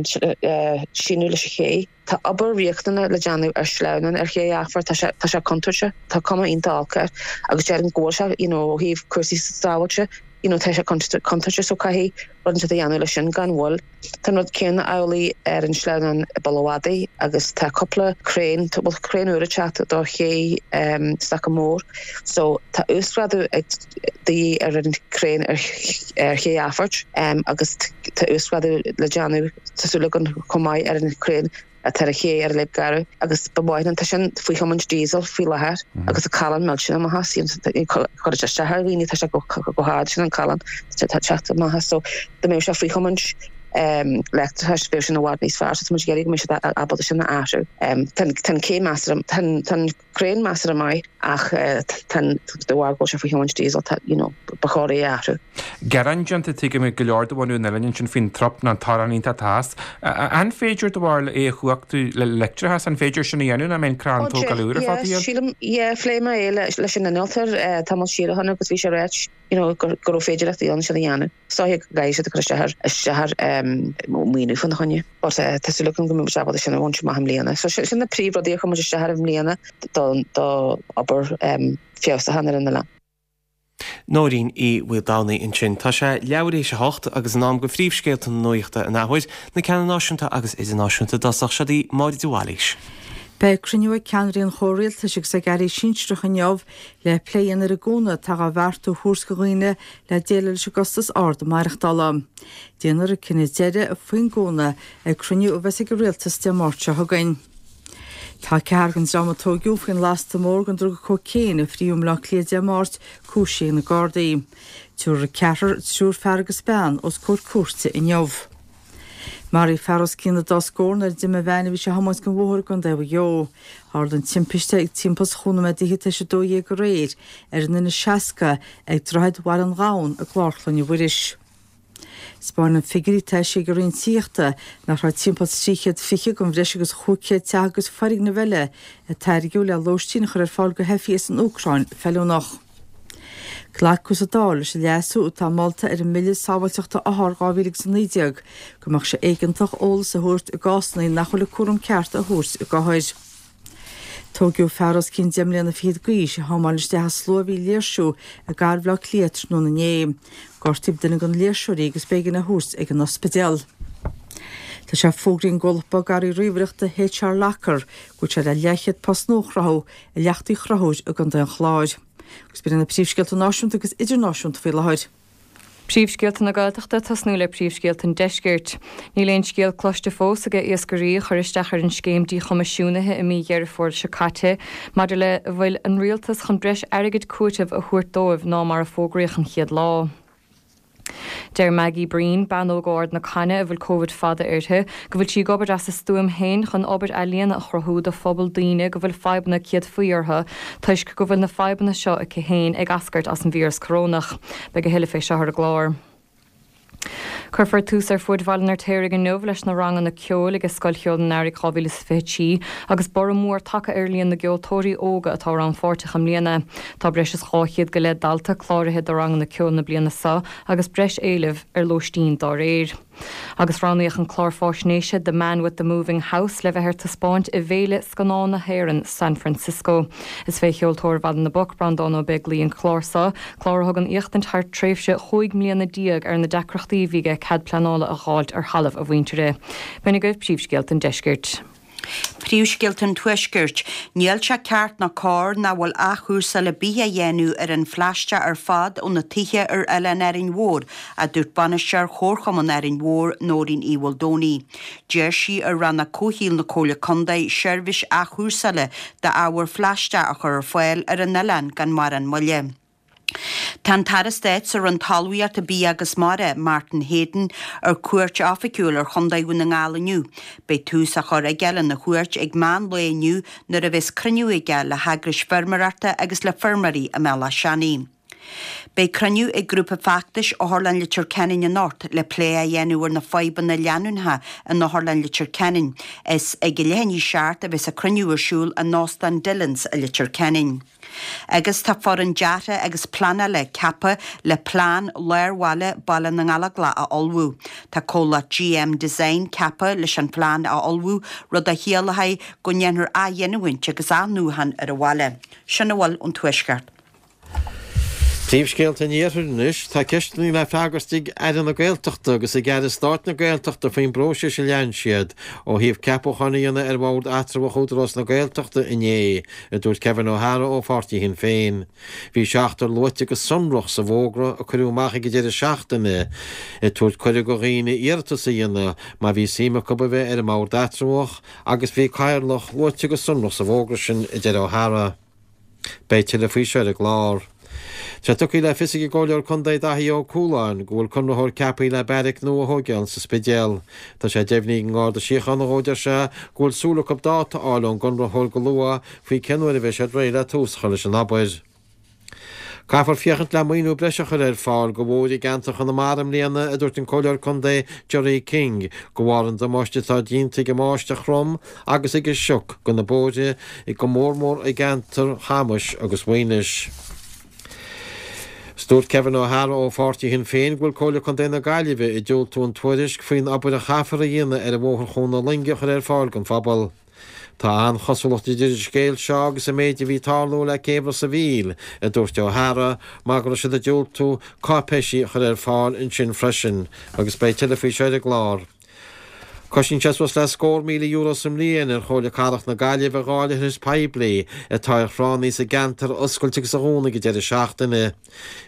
síneadh leis an ché. Tá obair riachtanach le déanamh ar shleamhnán ar Ché Aifir, tá sé tá sé contúirteach, tá cuma iontach olc air agus déarfainn go bhfuil sé you know ó thaobh cúrsaí sábháilte you know tá sé contúirteach so caithfidh rud inteacht a dhéanamh leis sin gan mhoill. Tá an rud céanna amhlaidh ar an sleamhnán i bPoll an Mhadaidh agus tá cúpla craein, bhuel craein úr ag teacht do ché Stocka Mór so tá uasghrádú ag de dhíth ar an craein ar ar Ché Aifir agus tá uasghrádú le déanamh tá súil againn chomh maith ar an craein atá ar ché ar Léim Garbh agus ba mhaith linn, tá sin faoi thiomáint diesel faoi láthair agus an callán millteanach amach as, cuireann sé isteach ar dhaoine, tá sé go hard sin an callán tá teacht amach as so dá mbeadh sé faoi thiomáint leictreachais bheadh sin i bhfad níos fearr so tá muid ag iarraidh go mbeidh siad ábalta sin a athrú. Tá an cé measartha, tá an craen measartha maith ach tá de bharr go bhfuil sé faoi thiomáint diesel tá you know ba chóir é a athrú. Gearán déanta tuigim ag go leor de bhunadh an oileáin ansin faoin trup nó an torann iontach atá as. An féidir do bharúil é a chumhachtú le leictreachas? An féidir sin a dhéanamh nó an mbeidh an crann tógáil úr ar fad a dhéanamh? Sílim, yeah, phléigh mé é leis an innealtóir tamall siar ó shin agus bhí sé ag ráit you know go raibh féidearthachtaí ann sin a dhéanamh. Is dóiche go gcaithfidh siad a chur isteach ar isteach ar maoiniú faoina choinne. But tá súil agam go mbeidh muid ábalta sin a bhaint amach i mbliana. So sin na príomhrudaí a chuir muid isteach air i mbliana do do obair feabhsúcháin ar an oileán. Nóirín Uí Mhaoldomhnaigh ansin. Tá sé leathuair théis a hocht agus in am do phríomhscéalta na nuachta an athuair, na ceanna náisiúnta agus idirnáisiúnta i dtosach. Seo í Máire de Bhailís. Beidh cruinniú ag ceannairí an chomhrialtais agus ag airí sinsearacha inniu le plé a dhéanamh ar an gcúnamh atá á bheartú a thabhairt do dhaoine le déileáil leis an gcostas ard maireachtála. Déanfar an cinneadh deiridh faoin gcúnamh ag cruinniú a bheas ag an rialtas Dé Máirt seo chugainn. Tá ceathrar den dream a tóigeadh faoin lasta mór den druga cócaon a fríodh i mBaile Átha Cliath Dé Máirt cúisithe ag na Gardaí. Tabharfar an ceathrar, triúr fear agus bean, os comhair cúirte inniu. Maraíodh fear os cionn an dá scór nuair a d'imigh veain a bhí sé a thiomáint den bhóthar i gContae Mhaigh Eo. Tharla an timpiste ag timpeall is chúig nóiméad d'fhichead tar éis a dó dhéag aréir ar an N A seasca ag Droichead Bhaile an Ghabhann i gClár Chlainne Mhuiris. Spáineann figiúirí atá eisithe ag an Roinn Tithíochta nach raibh timpeall trí chéad fiche den bhreis agus chúig chéad teach agus foirgneamh eile a tairgeadh le lóistín a chur ar fáil do theifigh as an Úcráin feiliúnach. Glacadh sa Dáil leis an leasú atá molta ar an mBille Sábháilteachta Othar dhá mhíle agus a naoi déag go mbeadh sé éigeantach eolas a thabhairt i gcásanna nach bhfuil an cúram ceart á thabhairt ag othair. Tóigeadh fear os cionn deich mbliana fichead d'aois a thiomáin isteach i slua a bhí ag léirsiú i gcathair Bhaile Átha Cliath tráthnóna inné. Gortaíodh duine de na léirseoirí agus b'éigean é a thabhairt ag an ospidéal. Tá sé fógraithe ag an gcomhlacht bogearraí ríomhaireachta H R Locker go bhfuil sé le leathchéad post nua a chruthú i Leacht Uí Chonchúir i gContae an Chláir. Agus b'in na príomhscéalta náisiúnta agus idirnáisiúnta faoi láthair. Príomhscéalta na Gaeltachta, tosnú le príomhscéalta an Deiscirt. Níl aon scéal cloiste fós ag iascairí a chuir isteach ar an scéim díchoimisiúnaithe i mí Dheireadh Fómhair seo caite maidir le an bhfuil an rialtas chun breis airgid cúitimh a thabhairt dóibh ná mar a fógraíodh an chéad lá. Deir Maggie Breen, bean óg ó Ard na Caithne a bhfuil Covid fada uirthi, go bhfuil sí ag obair as a stuaim féin chun obair ealaíona a chruthú do phobal daoine go bhfuil fadhbanna céadfaí orthu toisc go bhfuil na fadhbanna seo aici féin ag eascairt as an víreas corónach. Beidh a thuilleadh fé seo ar an gclár. Cuirfear tús ar fuaid Bhaile an Fheirtéaraigh inniu leis na ranganna ceoil ag Scoil Cheoil an Earraigh dhá mhíle is fiche trí agus borradh mór tagtha ar líon na gceoltóirí óga atá rannpháirteach i mbliana. Tá breis is dhá chéad go leith dalta cláraithe do ranganna ceoil na bliana seo agus breis éilimh ar lóistín dá réir. Agus roghnaíodh an clár fáisnéise The Man with the Moving House le bheith ar taispeáint i bhFéile Scannán na hÉireann, San Francisco. Is fé cheoltóir Bhaile na bPoc, Breandán Ó Beaglaoi an clár seo, clár a thugann éachtaint thar tréimhse chúig mbliana déag ar na deacrachtaí a bhí aige cead pleanála a dh'fháilt ar thalamh a mhuintire. B'in agaibh príomhscéalta an deiscirt. Príomhscéalta an Tuaiscirt. Níl sé ceart ná cóir nach bhfuil athchúrsáil ar bith á dhéanamh ar an phlaisteach ar fad ó na tithe ar oileán Árainn Mhór, a dúirt bainisteoir Chomharchumann Árainn Mhór, Nóirín Uí Mhaoldomhnaigh. D'iarr sí ar Rannóg Comhshaoil na Comhairle Contae seirbhís athchúrsála d'ábhar phlaisteach a chur ar fáil ar an oileán gan mórán moille. Tá an tAire Stáit sa Roinn Talmhaíochta, Bia agus Mara, Martin Heydon, ar cuairt oifigiúil ar Chontae Dhún na nGall inniu. Beidh tús á chur aige lena chuairt ag meán lae inniu nuair a bheas cruinniú aige le heagrais feirmeoireachta agus le feirmeoirí i mBealach Seanaidh. Beidh cruinniú ag grúpa feachtais Otharlann Leitir Ceanainn anocht le plé a dhéanamh ar na fadhbanna leanúnacha in Otharlann Leitir Ceanainn. Is ag a leath i ndiaidh a seacht a bheas an cruinniú ar siúl in Óstán Dillons i Leitir Ceanainn. Agus tá foireann deartha agus pleanála ceaptha le plean lár bhaile Baile na nGallóglach a ullmhú. Tá comhlacht G M Design ceaptha leis an phlean a ullmhú, rud a chiallóidh go ndéanfar athghiniúint agus athnuachan ar an bhaile. Sin a bhfuil ón Tuaisceart. Príomhscéalta an Iarthair anois, tá ceisteanna le freagairt ag Aire na Gaeltachta agus ag Aire Stáit na Gaeltachta faoin bpróiseas a lean siad ó thaobh ceapúcháin a dhéanamh ar bhord eatramhach Údarás na Gaeltachta inné, a dúirt Kevin O'Hara ó pháirtí Shinn Féin. Bhí seachtar luaite go sonrach sa bhfógra a cuireadh amach ag an deireadh seachtaine, ag tabhairt cuireadh do dhaoine iarratas a dhéanamh má bhí suim acu a bheith ar an mbord eatramhach agus bhí Cathaoirleach luaite go sonrach sa bhfógra sin, a deir O'Hara. Beidh tuilleadh faoi seo ar an gclár. Tá tugtha le fios ag an gComhairleoir Contae Daithí Ó Cualáin go bhfuil conraitheoir ceaptha le beairic nua a thógáil sa Spidéal. Tá sé deimhnithe ag an nGarda Síochána dhó, deir sé, go bhfuil súil acu dáta a fháil ón gconraitheoir go luath faoi cén uair a bheidh siad réidh le tús a chur leis an obair. Caithfear féachaint le maoiniú breise a chur ar fáil do bhóithre i gceantar Chonamara i mbliana, a dúirt an Comhairleoir Contae Gerry King, de bharr an damáiste atá déanta ag an mbáisteach throm agus ag an sioc do na bóithre, go mór mór i gceantar Chamais agus Mhaínis. Dúirt Kevin O'Hara ó pháirtí Shinn Féin go bhfuil Comhairle Contae na Gaillimhe ag diúltú an tuairisc faoin obair a chaithfear a dhéanamh ar an bhóthar Chuan na Loinge a chur ar fáil don phobal. Tá an-chosúlacht idir an scéal seo agus an méid a bhí ag tarlú le céibh Ros a' Mhíl, a dúirt O'Hara, mar go raibh siad ag diúltú cáipéisí a chur ar fáil ansin freisin, agus beidh tuilleadh faoi seo ar an gclár. Cosnaíonn sé suas le scór míle euro sa mbliain ar Chomhairle Cathrach na Gaillimhe dhá leithreas poiblí atá ar thránna sa gceantar a oscailt agus a dhúnadh ag an deireadh seachtaine.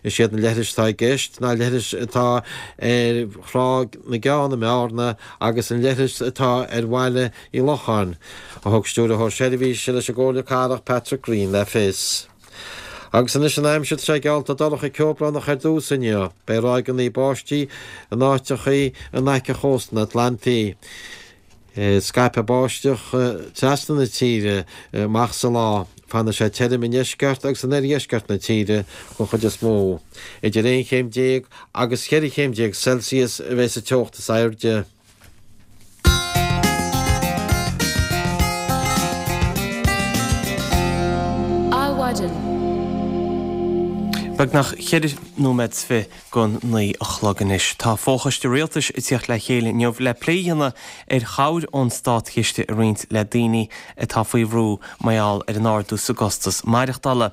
Is iad na leithris atá i gceist ná leithris atá ar Thrá na gCeann i mBearna agus an leithreas atá ar Bhaile Uí Locháin, a thug Stiúrthóir Seirbhíse leis an gComhairle Cathrach Patrick Greene le fios. Agus anois an aimsir, tá sé geallta dorcha ceobhránach ar dtús inniu. Beidh ráigeanna báistí in áiteachaí in aice chósta an Atlantaigh. Scaipfidh báisteach trasna na tíre amach sa lá. Fanfaidh sé tirim i ndeisceart agus in oirdheisceart na tíre den chuid is mó. Idir aon chéim déag agus cheithre chéim déag Celsius a bheidh sa teocht is airde. Adhmhaidin. Beagnach ceithre nóiméad is fiche don naoi a chlog anois. Tá Fochoiste Rialtais ag tíocht le chéile inniu le plé a dhéanamh ar chabhair ón státchiste a roinnt le daoine atá faoi bhrú mar gheall ar an ardú sa gcostas maireachtála.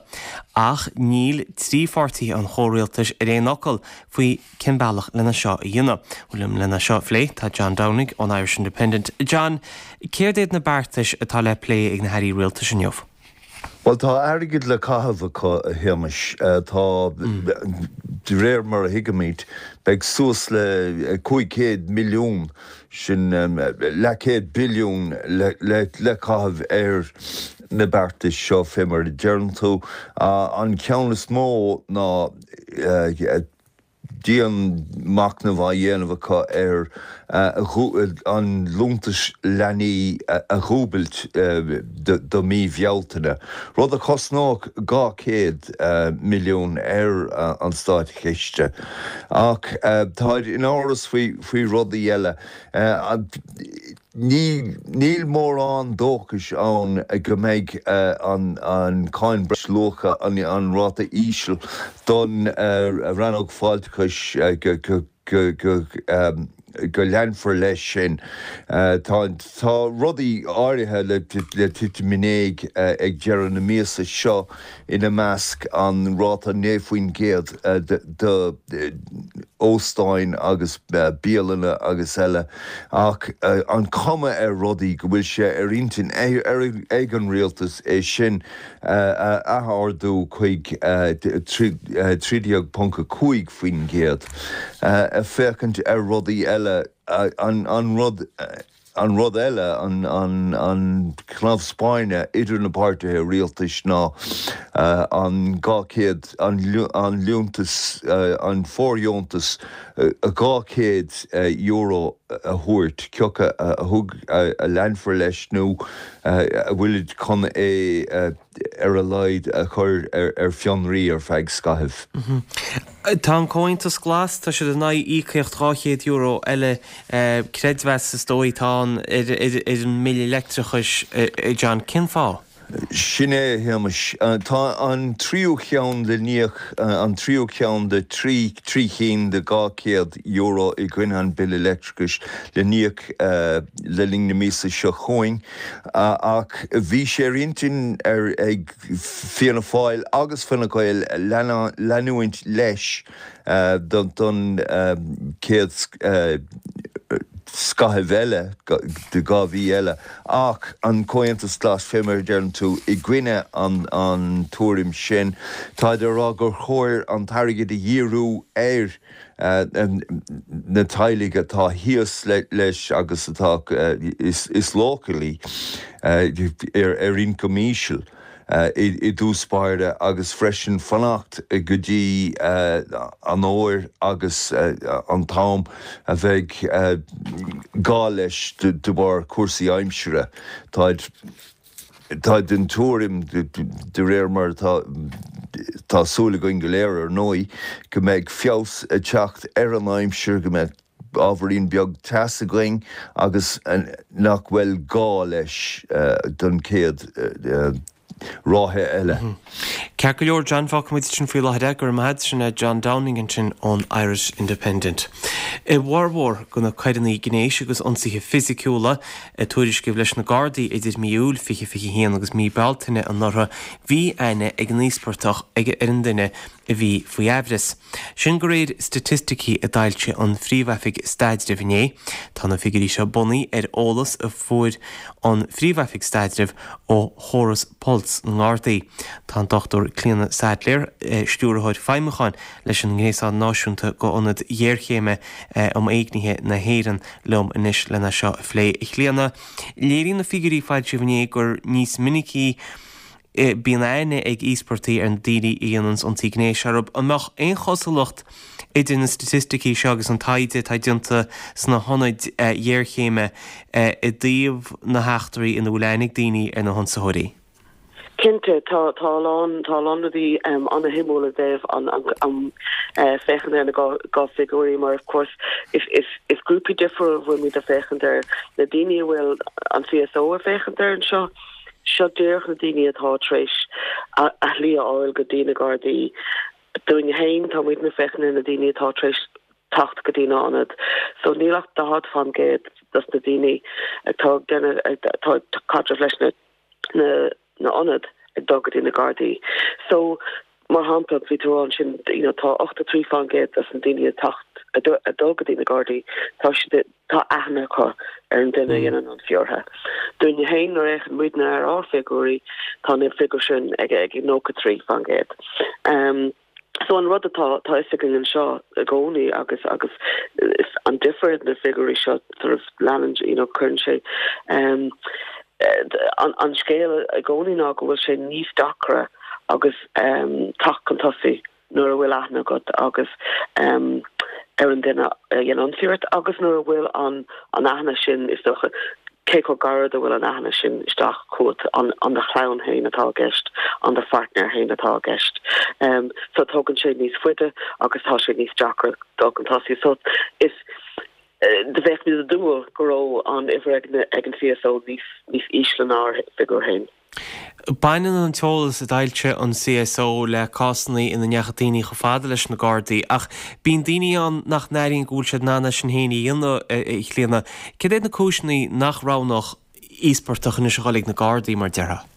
Ach níl trí pháirtí an chomhrialtais ar aon fhocal faoi cén bealach lena seo a dhéanamh. Bhuel liom lena seo a phlé tá John Downing ón Irish Independent. John, céard iad na beartais atá le plé ag na hairí rialtais inniu? Bhuel, tá airgead le caitheamh acu, a Shéamais. Tá, de réir mar a thuigimid, beidh suas le cúig chéad milliún, sin leathchéad billiún, le caitheamh ar na beartais seo, fé mar a deireann tú. An ceann is mó ná dianmhachnamh á dhéanamh acu ar an liúntas leanaí a dhúbailt do mí Bhealtaine, rud a chosnódh dhá chéad milliún ar an státchiste. Ach táid in amhras faoi rudaí eile. Níl mórán dóchais ann go mbeidh an cáin breisluacha, an ráta íseal don rannóg fáilteachais, go leanfar leis sin. Tá rudaí áirithe le titim in éag ag deireadh na míosa seo, ina measc an ráta naoi faoin gcéad do óstáin agus bialanna agus eile, ach an chuma ar rudaí go bhfuil sé ar intinn ag an rialtas é sin a ath-ardú chuig trí déag ponc a cúig faoin gcéad, féachaint ar rudaí eile, an rud An rud eile, an cnámh spairne idir na páirtithe rialtais ná an dhá chéad, an liúntas, an fóirdheontas dhá chéad euro a thabhairt, cé acu a thug, a leanfar leis nó a bhfuilid chun é ar a laghad a chur ar fionraí ar feadh scaithimh. Tá an Comhaontas Glas, tá siad in aghaidh íocaíocht dhá chéad euro eile, creidmheas is dóigh atá ann ar an mbille leictreachais, John, cén fáth? Sin é, a Shéamais. Tá an tríú cheann le n-íoc, an tríú ceann de trí trí chinn de dhá chéad euro i gcoinne an bille leictreachais le n-íoc le linn na míosa seo chugainn ach bhí sé ar intinn ar ag Fianna Fáil agus Fine Gael leanúint leis don chéad scaitheamh eile de dhá mhí eile ach an Comhaontas Glas, fé mar a deireann tú, i gcoinne an tuairim sin. Táid ag rá gur chóir an t-airgead a dhíriú ar na teaghlaigh atá thíos leis agus atá is leochailí ar ioncam íseal. i dtús báire agus freisin fanacht go dtí an uair agus an t-am a bheidh gá leis de bharr cúrsaí aimsire. Táid táid den tuairim, de réir mar atá tá súil againn go léir ar ndóigh, go mbeidh feabhas ag teacht ar an aimsir, go mbeidh ábhairín beag teas againn agus nach bhfuil gá leis don chéad ráithe eile. Ceart go leor, John, fágfaidh muid sin faoi láthair é. Go raibh maith agat. Sin é John Downing ansin ón Irish Independent. I bhformhór de na coireanna gnéis agus ionsaithe fisiciúla a tuairiscíodh leis na Gardaí idir mí Iúil fiche fiche a haon agus mí Bealtaine anuraidh, bhí aithne ag an íospartach ag ar an duine a bhí faoi aimhreas. Sin de réir staitisticí a d'fhoilsigh an Phríomh-Oifig Staidrimh inné. Tá na figiúirí seo bunaithe ar eolas a fuair an Phríomh-Oifig Staidrimh ó chóras Pulse na nGardaí. Tá an Dochtúir Clíona Saidléar, Stiúrthóir Feidhmiúcháin leis an nGréasán Náisiúnta d'Ionaid Ghéarchéime um Éignithe na hÉireann liom anois lena seo a phlé. A Chlíona, léiríonn na figiúirí a foilsíodh inné gur níos minicí bíonn aithne ag íospartaigh ar na daoine a dhéananns ionsaí gnéis orthu. An mbeadh aon chosúlacht idir na staitisticí seo agus an taighde atá déanta sna hionaid ghéarchéime i dtaobh na heachtraí ina bhfuil aithne ag daoine ar na hionsaitheoirí? Cinnte, tá tá a lán tá a lán rudaí an-shuimiúil i dtaobh an an féachaint ar na dhá figiúirí mar of course is is is grúpaí difriúil a bhfuil muid ag féachaint ar na daoine a bhfuil an C S O ag féachaint ar anseo. Seo díreach na daoine atá tar éis a shlí a fháil go dtí na Gardaí. Dúinne féin, tá muidne ag féachaint ar na daoine atá tar éis teacht go dtí na ionaid. So níl ach daichead faoin gcéad dos na daoine atá ag déanamh atá ag caidreamh leis na na na ionaid ag dul go dtí na Gardaí. So mar shampla, bhí tú ansin you know, tá ochtó trí faoin gcéad dos na daoine ag teacht ag dul go dtí na Gardaí, tá siad tá aithne acu ar an duine a dhéanann an ionsaí orthu. Dúinne féin nuair a fhéachann muidne ar ár bhfigiúirí, tá na figiúir sin ag ag nócha trí faoin gcéad. Um, so an rud atá tá fhios againn anseo i gcónaí agus agus an difear na figiúirí seo sort of leanann you know, cuireann sé um, an, an scéal i gcónaí ná go bhfuil sé níos deacra agus um, teacht chun tosaigh nuair a bhfuil aithne agat agus um, ar an duine a dhéanann ionsaí ort agus nuair a bhfuil an an aithne sin is dócha cé chomh gairid a bhfuil an aithne sin isteach chugat an an do chlann féin atá i gceist an do pháirtnéir féin atá i gceist. Um, so tógann sé níos faide agus tá sé níos deacra dul chun tosaigh. So is do bheadh mé ag dúil go raibh an uimhir ag ag an C S O níos níos ísle ná ár bhfigiúr féin. Baineann an t-eolas a d'fhoilsigh an C S O le cásanna ina ndeachaigh daoine chomh fada leis na Gardaí, ach bíonn daoine ann nach n-airíonn go bhfuil siad in ann é sin féin a dhéanamh, a Chlíona. Céard iad na cúiseanna nach roghnódh íospartach anois a dhul ag na Gardaí, mar déarfá?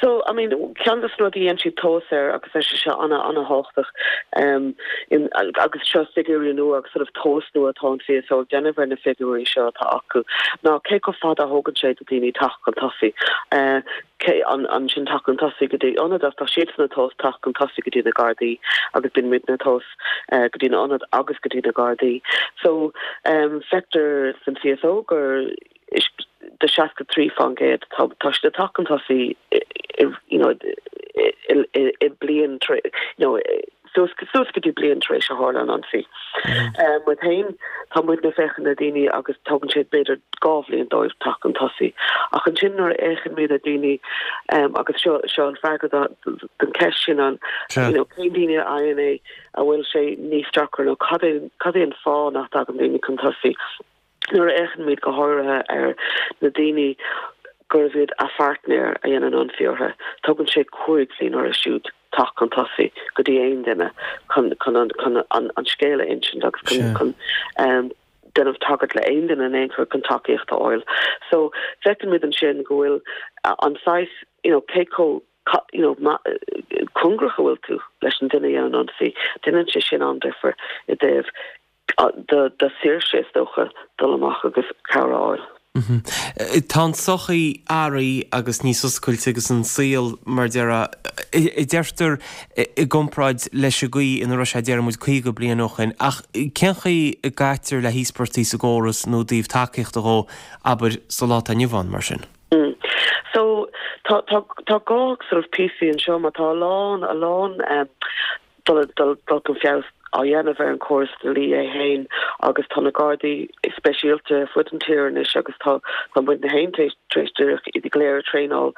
So, I mean, ceann de na rudaí a dhéanann siad tomhas air agus tá sé seo ana ana-thábhachtach um, in, agus seo figiúirí nua agus sort of tomhas nua atá an C S O ag déanamh ar na figiúirí seo atá acu. Ná cé chomh fada a thógann sé do daoine teacht chun tosaigh. Uh, cé an, an sin teacht chun tosaigh go dtí ionad tá siad ag tomhas teacht chun tosaigh go dtí na Gardaí agus bíonn muidne ag tomhas uh, go dtí na ionaid agus go dtí na Gardaí. So um, feictear san C S O gur is de seasca trí faoin gcéad tá tá siad ag teacht chun tosaigh you know i bliain you know suas suas go dtí bliain tar éis a tharla an ionsaí. Um, Muid féin tá muid ag féachaint ar daoine agus tógann sé b'fhéidir dhá bhliain dóibh teacht chun tosaigh. Ach ansin nuair a fhéachann muid ar daoine um, agus seo seo an freagra don cheist sin an you know, cén daoine a fhaigheann é a bhfuil sé níos deacra nó cad é cad é an fáth nach dtagann daoine chun tosaigh. Nuair a fhéachann muid go háirithe ar na daoine gurbh iad a pháirtnéir a dhéanann ionsaí orthu, tógann sé cúig bhliain orthu siúd teacht chun tosaigh go dtí aon duine chun chun an chun an an scéal a insint agus chun chun um, déanamh tagairt le aon duine in aon chor chun tacaíocht a fháil. So feicimid ansin go bhfuil an saghas you know, cé chomh you know, cóngarach a bhfuil tú leis an duine a dhéanann ionsaí, déanann sé sin an-difear i dtaobh do do saoirse is dócha dul amach agus cabhair a fháil. Tá an tsochaí athraithe agus níos oscailte agus an saol mar deir a deirtear i gcomparáid leis an gcaoi ina raibh sé déarfaidh muid caoga bliain ó shin ach cén chaoi a gcaitear le híospartaigh sa gcóras nó i dtaobh tacaíochta dhó abair sa lá atá inniu ann mar sin? So tá tá tá dhá sort of píosaí anseo mar tá a lán a lán um, dul dul dul chun feabhas á dhéanamh ar an chóras dlí é féin agus tá na Gardaí speisialta ar fud an tír anois agus tá tá muidne féin tar éis díreach iad go léir a traenáil.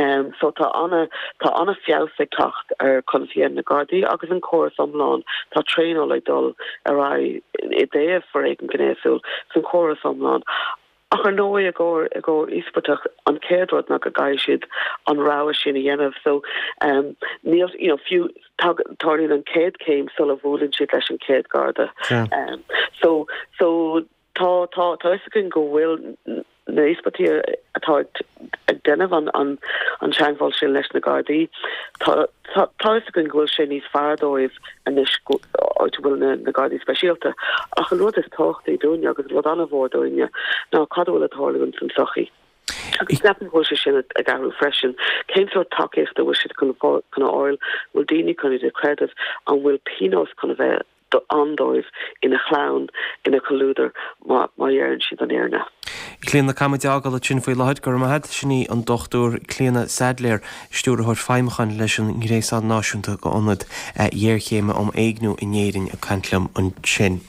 Um, so tá ana tá ana feabhas ag teacht ar conas a dhéanann na Gardaí agus an córas iomlán tá traenáil ag dul ar aghaidh i dtaobh foréigean gnéasúil san chóras iomlán. Ach ar ndóigh i gcomhair i gcomhair íospartach an chéad rud ná go gcaithfidh siad an rogha sin a dhéanamh so um, níl you know, fiú tarlaíonn an chéad chéim sula bhuaileann siad leis an chéad Garda. Um, so so tá tá tá fhios againn go bhfuil na híospartaigh atá ag déanamh an an an teagmháil sin leis na Gardaí. Tá tá fhios againn go bhfuil sé níos fearr dóibh anois áit a bhfuil na na Gardaí speisialta. Ach an rud is tábhachtaí dúinne agus rud an-mhór dúinne ná cad a bhfuil ag tarlú san tsochaí. Agus ceapaim go bhfuil sé sin ag athrú freisin. Cén sórt tacaíochta bhfuil siad chun chun a fháil, bhfuil daoine chun iad a chreideamh, an bhfuil pionós chun a bheith ann dóibh ina chlann, ina chomhluadar má má dheireann siad an fhírinne. Clíona Caithfidh muid é a fhágáil ansin faoi láthair, go raibh maith agat. Sin í an Dochtúir Clíona Saidléar, Stiúrthóir Feidhmiúcháin leis an nGréasán Náisiúnta d'Ionaid Ghéarchéime um Éigniú in Éirinn ag caint liom ansin.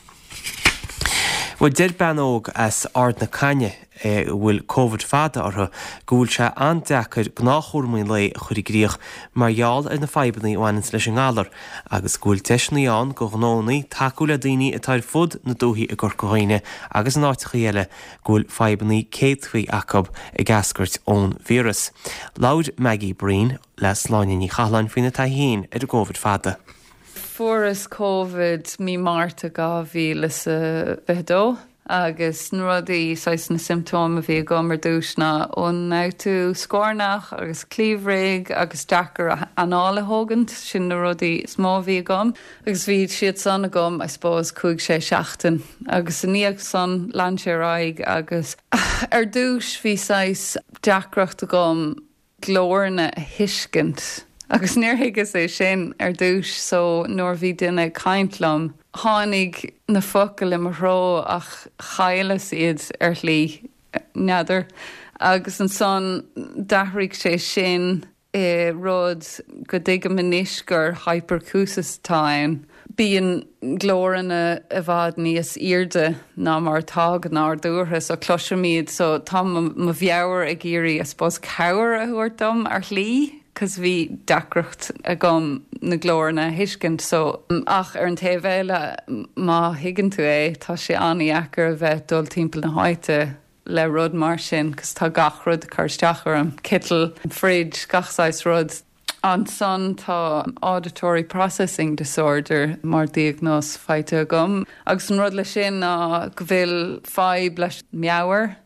Bhuel, deir bean óg as Ard na Caithne a bhfuil Covid fada orthu go bhfuil sé an-deacair gnáthchúraimí an lae a chur i gcrích mar gheall ar na fadhbanna a bhaineanns leis an ngalar agus go bhfuil deiseanna ann do ghnónna tacú le daoine atá ar fud na dúichí i gCorca Dhuibhne agus in áiteacha eile go bhfuil fadhbanna céadfaí acu ag eascairt ón víreas. Labhair Maggie Breen le Sláine Ní Chathalláin faoina taithí féin ar an gCovid fada. Fuaireas Covid mí Márta dhá mhíle is a fiche dó agus na rudaí saghas na symptóim a bhí agam ar dtús ná ionfhabhtú scornach agus cliabhraigh agus deacair anáil a thógaint sin na rudaí is mó a bhí agam agus bhí siad san agam I suppose cúig sé seachtain agus i ndiaidh san lean sé ar aghaidh agus ar dtús bhí saghas deacracht agam glóranna a thuiscint. Agus níor thuigeas é sin ar dtús so nuair bhí duine ag caint liom, tháinig na focail i mo threo ach chailleas iad ar shlí, n'fheadar. Agus ansan d'athraigh sé sin i rud go dtuigim anois gur hyperacusis atá ann. Bíonn glóranna i bhfad níos airde ná mar atá go nádúrtha so cloisim iad so tá mo mheabhair ag iarraidh I suppose cabhair a thabhairt dom ar shlí cos bhí deacracht agam na glóranna a thuiscint so ach ar an taobh eile má thuigeann tú é tá sé an-deacair a bheith dul timpeall na háite le rud mar sin cos tá gach rud ag cur isteach orm, citeal, fridge, gach saghas rud. Ansan tá auditory processing disorder mar diagnóis faighte agam agus an rud leis sin ná go bhfuil fadhb leis meabhair,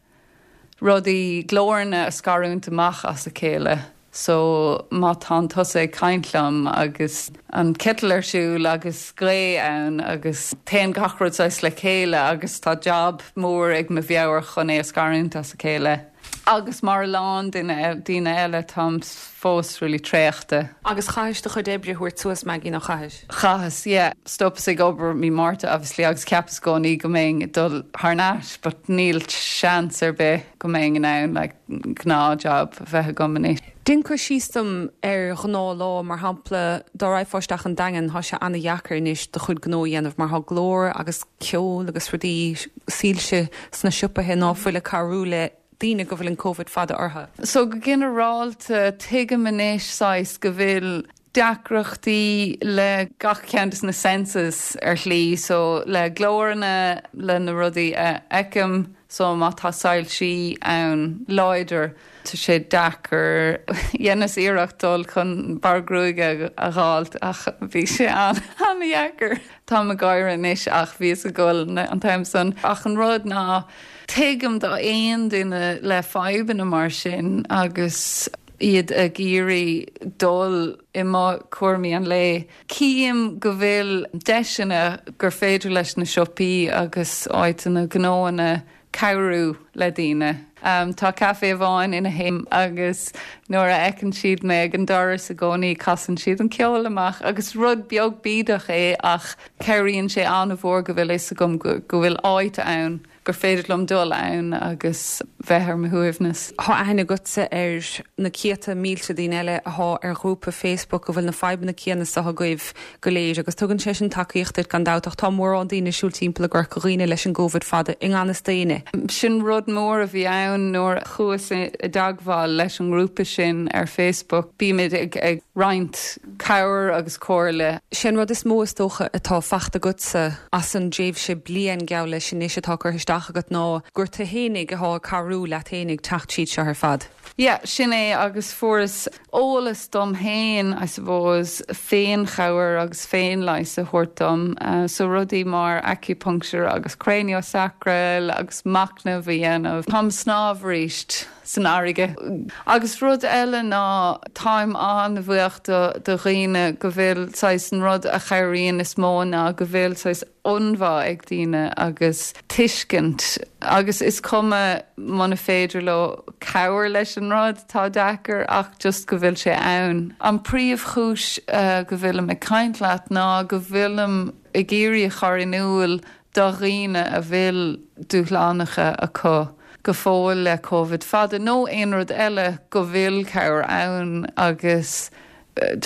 rudaí, glóranna a scarúint amach as a chéile. So má tánn tusa ag caint liom agus an citeal ar siúl agus gaoth ann agus téann gach rud saghas le chéile agus tá job mór ag mo mheabhair chun é a scarúint as a chéile. Agus mar a lán duine daoine eile táim fós really traochta. Agus chaithis do chuid oibre a thabhairt suas, Maggie, nó chaithis? Chaitheas, yeah. Stopas ag obair mí Márta obviously agus cheapas i gcónaí go mbeinn ag dul thar n-ais but níl seans ar bith go mbeinn in ann like gnáthjob a bheith agam anois. Déan cur síos dom ar ghnáthlá, mar shampla, dá raghfá isteach an Daingean, tá sé ana-dheacair anois do chuid gnó a dhéanamh mar tá glór agus ceol agus rudaí soilse sna siopaithe ná fuil ag cabhrú le daoine go bhfuil an Covid fada orthu. So go ginearálta tuigim anois saghas go bhfuil deacrachtaí le gach ceann de na senses ar shlí, so le glóranna le na rudaí a fheicim so má tá soilsí ann láidir tá sé deacair dheineas iarracht dul chun bearradh gruaige a fháilt ach bhí sé an an-deacair. Táim ag gáire anois ach bhíos ag gol an t-am san ach an rud ná tuigim do aon duine le fadhbanna mar sin agus iad ag iarraidh dul i mbun cúraimí an lae. Cím go bhfuil deiseanna gur féidir leis na siopaí agus áiteanna gnóanna cabhrú le daoine. Um, tá caife amháin ina théim agus nuair a fheiceann siad mé ag an doras i gcónaí casann siad an ceol amach agus rud beag bídeach é ach cabhraíonn sé an-mhór go bhfuil fhios agam go bhfuil áit ann gur féidir liom dul ann agus bheith ar mo shuaimhneas. Tá aithne agatsa ar na céadta mílte daoine eile atá ar ghrúpa Facebook go bhfuil na fadhbanna céanna seo agaibh go léir agus tugann sé sin tacaíocht duit gan dabht ach tá mórán daoine ag siúl timpeall i gCorca Dhuibhne leis an gCovid fada i ngan fhios d'éinne. Sin rud mór a bhí ann nuair chuas i dteagmháil leis an ngrúpa sin ar Facebook. Bímid ag, ag roinnt cabhair agus comhairle. Sin rud is mó is dócha atá fachta agatsa as an dtréimhse bliain geall leis anois atá curtha isteach agat ná gur tú fhéinig atá ag cabhrú leat fhéinig teacht tríd seo ar fad. Yeah, sin é agus fuaireas eolas dom féin, I suppose, féinchabhair agus féinleigheas a thabhairt dom. Uh, so rudaí mar acupuncture agus craniosacral agus machnamh a dhéanamh. Táim ag snámh arís san fharraige. Agus rud eile ná táim an-bhuíoch do do dhaoine go bhfuil saghas an rud a chabhraíonn is mó ná go bhfuil saghas ionbhá ag daoine agus tuiscint agus is cuma muna féidir leo cabhair leis an rud tá deacair ach just go bhfuil sé ann. An príomhchúis uh, go bhfuilim ag caint leat ná go bhfuilim ag iarraidh a chur in iúl do dhaoine a bhfuil dúshlánacha acu go fóill le COVID fada nó aon rud eile go bhfuil cabhair ann agus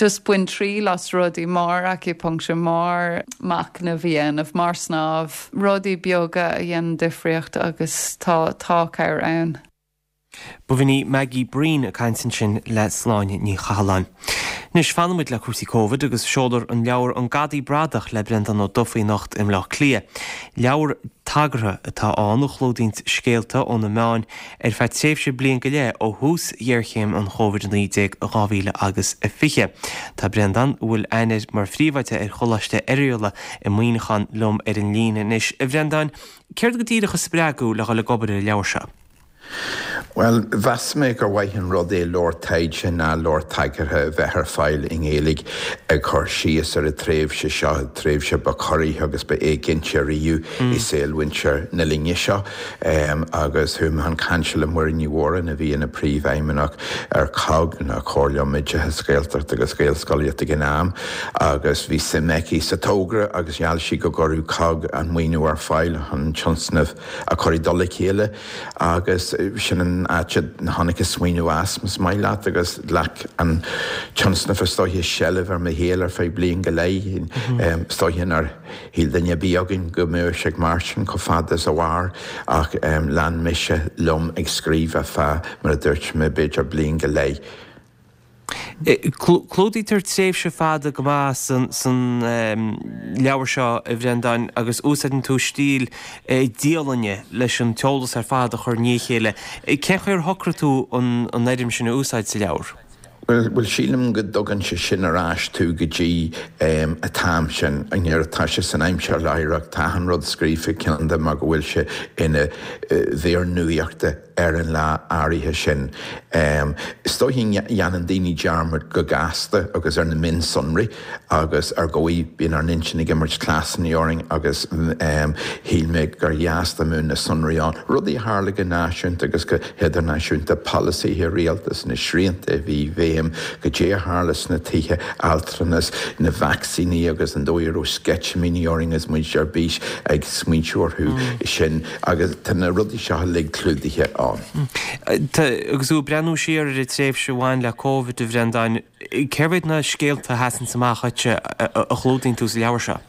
just bain triail as rudaí mar acupuncture mar machnamh a dhéanamh mar snámh rudaí beaga a dhéanann difríocht agus tá tá cabhair ann. B'in í Maggie Breen ag caint ansin le Sláine Ní Chathalláin. Anois fanfaimid le cúrsaí Covid agus seolfar an leabhar An Gadaí Bradach le Breandán Ó Dufaigh anocht i mBleá Cliath. Leabhar tagartha atá ann a chlúdaíonn scéalta ó na meáin ar feadh tréimhse bliain go leith ó thús ghéarchéim an Covid a naoi déag dhá mhíle agus a fiche. Tá Breandán, a bhfuil aithne air mar phríomhoide ar Choláiste Oirialla i Muineachán liom ar an líne anois. A Bhreandáin, céard go díreach a spreag thú le dhul ag obair ar an leabhar seo? Well, mheas mé gur mhaith an rud é leabhar taighde ná leabhar tagartha a bheith ar fáil i nGaeilge ag cur síos ar an tréimhse seo, tréimhse ba chorraí agus ba éiginnte riamh i saol mhuintir na linne seo. Um, agus chuaigh mé chun cainte le Muireann Ní Mhóráin a bhí ina príomhfheidhmeannach ar COGG na Comhairle um Oideachas Gaeltacht agus Gaelscolaíocht ag an am agus bhí suim aici sa togra agus gheall sí go gcuirfeadh COGG an maoiniú ar fáil chun tionscnamh a chur i dtoll a chéile agus sin an áit a tháinig an smaoineamh as más maith leat agus ghlac an tionscnamh is dóiche seilbh ar mo shaol ar feadh bliain go leith. Is dóiche nár shíl duine ar bith againn go mbeadh sé mar sin chomh fada is a mhair ach lean mise liom ag scríobh ar feadh mar a dúirt mé b'fhéidir bliain go leith. Clúdaítear tréimhse fada go maith san leabhar seo a Bhreandáin agus úsáideann tú stíl dialainne leis an t-eolas ar fad a chur i ndiaidh a chéile. Cén chaoi ar shocraigh tú an fhoirm sin a úsáid sa leabhar? Well sílim go dtugann sé sin ar ais tú go dtí an t-am sin nuair atá sé san aimsir láithreach tá an rud scríofa cineál de mar go bhfuil sé ina mhír nuachta ar an lá áirithe sin. Is dóiche dhéanann daoine dearmad go gasta agus ar na mionsonraí agus ar dhóigh bíonn ár n-intinn ag imirt cleasanna orainn agus shíl mé gur dheas dá mbeadh na sonraí ann. Rudaí a tharla go náisiúnta agus go hidirnáisiúnta, polasaithe rialtais, na srianta a bhí i bhfeidhm, goidé a tharla sna tithe altranais, na vacsaíní agus an dóigh a raibh sceitimíní orainn agus muid ar bís ag smaointiú orthu sin agus tá na rudaí seo uilig clúdaithe ann. Agus tú ag breathnú siar ar an tréimhse a bhain le Covid, a Bhreandáin, cérbh iad na scéalta a sheasann amach dhuitse a chlúdaíonn tú sa leabhar seo?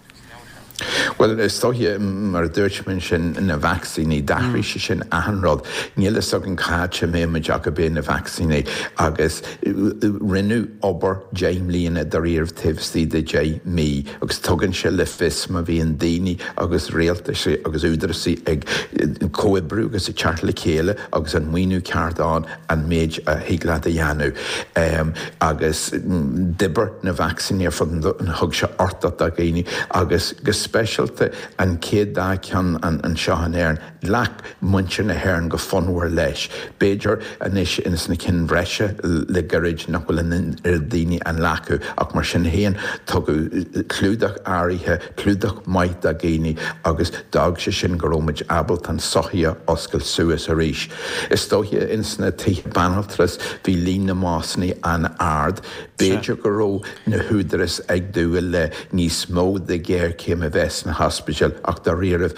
Bhuel, is dóiche, mar a dúirt mé ansin, na vacsaíní, d'athraigh sé sin achan rud. Níl fhios againn cá háit a mbeidh muid ach go beidh na vacsaíní agus rinneadh obair deich mbliana dáiríre taobh istigh de deich mí agus tugann sé le fios má bhíonn daoine agus rialtais agus údaráis ag comhoibriú agus ag teacht le chéile agus an maoiniú ceart ann an méid a thig leat a dhéanamh. Agus d'oibir na vacsaíní ar fud an domhain, thug sé uchtach do dhaoine agus go speisialta an chéad dá cheann anseo in Éirinn, ghlac muintir na hÉireann go fonnmhar leis. B'fhéidir anois ins na cinn bhreise le gairid nach bhfuil an oiread daoine á nglacadh ach mar sin féin tugadh clúdach áirithe, clúdach maith do dhaoine agus d'fhág sé sin go raibh muid ábalta an sochaí a oscailt suas arís. Is dóiche ins na tithe banaltrais bhí líon na mbásanna an-ard. B'fhéidir go raibh na húdaráis ag dúil le níos mó de ghéarchéim a bheith sna hospidéil ach dáiríribh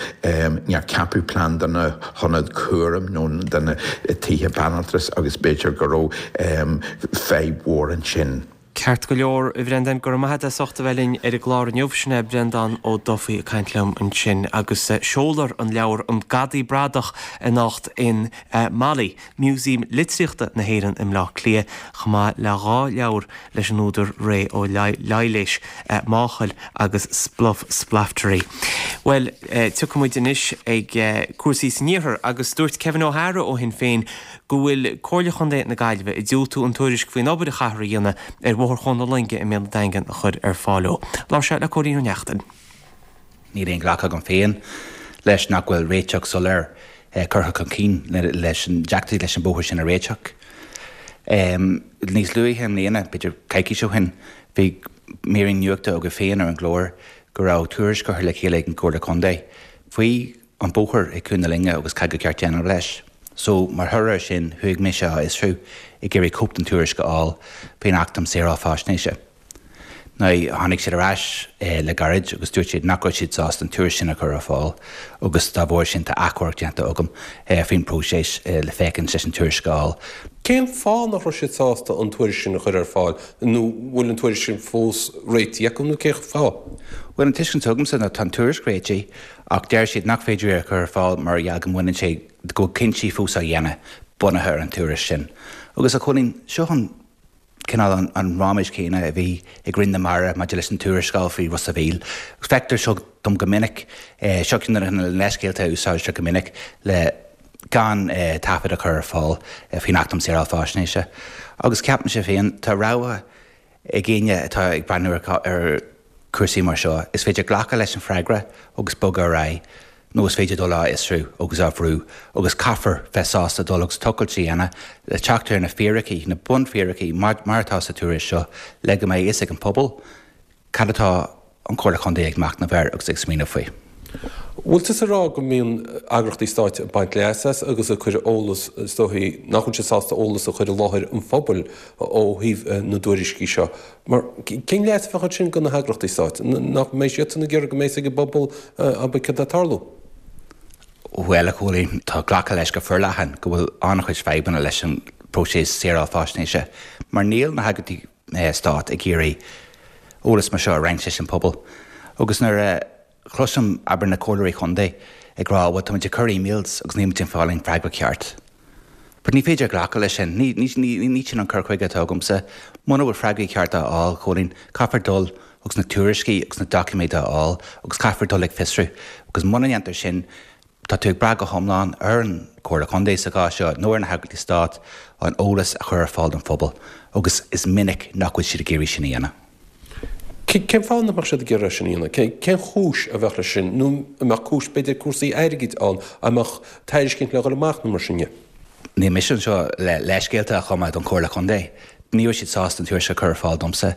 níor ceapadh plean do na hionaid cúraim nó do na tithe banaltrais agus b'fhéidir go raibh fadhb mhór ansin. Ceart go leor, a Bhreandáin, go raibh maith agat as ucht a bheith linn ar an gclár inniu. Sin é Breandán Ó Dufaigh ag caint liom ansin agus seolfar an leabhar An Gadaí Bradach anocht in MoLI, Músaem Litríochta na hÉireann i mBleá Cliath, chomh maith le dhá leabhar leis an údar Ré Ó Laighléis, Máchail agus Spluff Splaftery. Bhuel, tiocfaidh muid anois ag cúrsaí san iarthar agus dúirt Kevin O'Hara ó Shinn Féin go bhfuil Comhairle Chontae na Gaillimhe ag diúltú an tuairisc faoin obair a chaithfear a dhéanamh ar Bhóthar Chuan na Loinge i mbéal an Daingin a chur ar fáil dó. Labhair sé le Cóilín Ó Neachtain. Níl aon ghlacadh agam féin leis nach bhfuil réiteach soiléir curtha chun cinn leis an deacrachtaí leis an bóthar sin a réiteach. Níos luaithe i mbliana, b'fhéidir coicís ó shin, bhí mírín nuachta agaibh féin ar an gclár go raibh tuairisc curtha le chéile ag an gComhairle Contae faoi an bóthar ag Cuan na Loinge agus cad ba cheart déanamh leis. So, mar thoradh air sin, chuaigh mise á fhiosrú ag iarraidh cóip den tuairisc a fháil faoin Acht um Saoráil Faisnéise. Now, tháinig siad ar ais le gairid agus dúirt siad nach raibh siad sásta an tuairisc sin a chur ar fáil agus dá bharr sin tá achomharc déanta agam faoin bpróiseas le féachaint leis an tuairisc a fháil. Cén fáth nach raibh siad sásta an tuairisc sin a chur ar fáil nó bhfuil an tuairisc sin fós réitithe acu nó cén fáth? Bhuel, an tuiscint atá agamsa ná tá an tuairisc réitithe ach deir siad nach féidir é a chur ar fáil mar gheall go mbaineann sé, go bhfuil cinntí fós á dhéanamh bunaithe ar an tuairisc sin. Agus a Chóilín, seo an cineál an raiméis chéanna a bhí ag Roinn na Mara maidir leis an tuarascáil faoi Ros a' Mhíl. Feictear seo dom go minic, seo ceann de na leithscéalta a úsáidtear go minic le gan taifead a chur ar fáil faoin Acht um Saoráil Faisnéise. Agus ceapaimse féin, tá rogha ag éinne atá ag breathnú ar chúrsaí mar seo, is féidir glacadh leis an freagra agus bogadh ar aghaidh, nó is féidir dul á fhiosrú agus á bhrú agus caithfear bheith sásta dul agus tochailt a dhéanamh le teacht ar na fíricí, na bunfhíricí, mar atá sa tuairisc seo, le go mbeidh a fhios ag an pobal cad atá an Chomhairle Chontae ag machnamh air agus ag smaoineamh faoi. Bhfuil tusa ag rá go mbíonn eagraíochtaí stáit ag baint leas as agus ag cur eolas, is dóichí nach bhfuil siad sásta eolas a chur i láthair an phobail ó thaobh na dtuairiscí seo. Mar cén leas a bheadh ansin do na heagraíochtaí stáit? Nach mbeidh siadsan ag iarraidh go mbeidh a fhios ag an bpobal abair cad atá ag tarlú? Bhuel, a Chóilín, tá glactha leis go forleathan go bhfuil an-chuid fadhbanna leis an bpróiseas saoráil faisnéise mar níl na heagraíochtaí stáit ag iarraidh eolas mar seo a roinnt leis an bpobal. Agus nuair a chloisim, abair, na comhairleoirí chontae ag rá, bhuel, táimid ag cur emails agus níl muid ag fáil aon freagra ceart. But ní féidir glacadh leis sin. Ní, ní, ní, ní sin an cur chuige atá agamsa. Muna bhfuil freagraí cearta á fháil, Chóilín, caithfear dul agus na tuairiscí agus na doiciméid a fháil agus caithfear dul ag fiosrú. Agus muna ndéantar sin, tá tú ag brath go hiomlán ar an Chomhairle Contae sa chás seo nó ar na heagraíochtaí stáit an eolas a chur ar fáil don phobal agus is minic nach bhfuil siad ag iarraidh sin a dhéanamh. Cén fáth nach mbeadh siad ag iarraidh sin a dhéanamh? Cén chúis a bheadh leis sin? Nó an mbeadh cúis, b'fhéidir cúrsaí airgid ann, an mbeadh tairiscint le dhul amach nó mar sin de? Níl mise anseo le leithscéalta a chumadh don Chomhairle Contae. Ní raibh siad sásta an tuairisc a chur ar fáil domsa.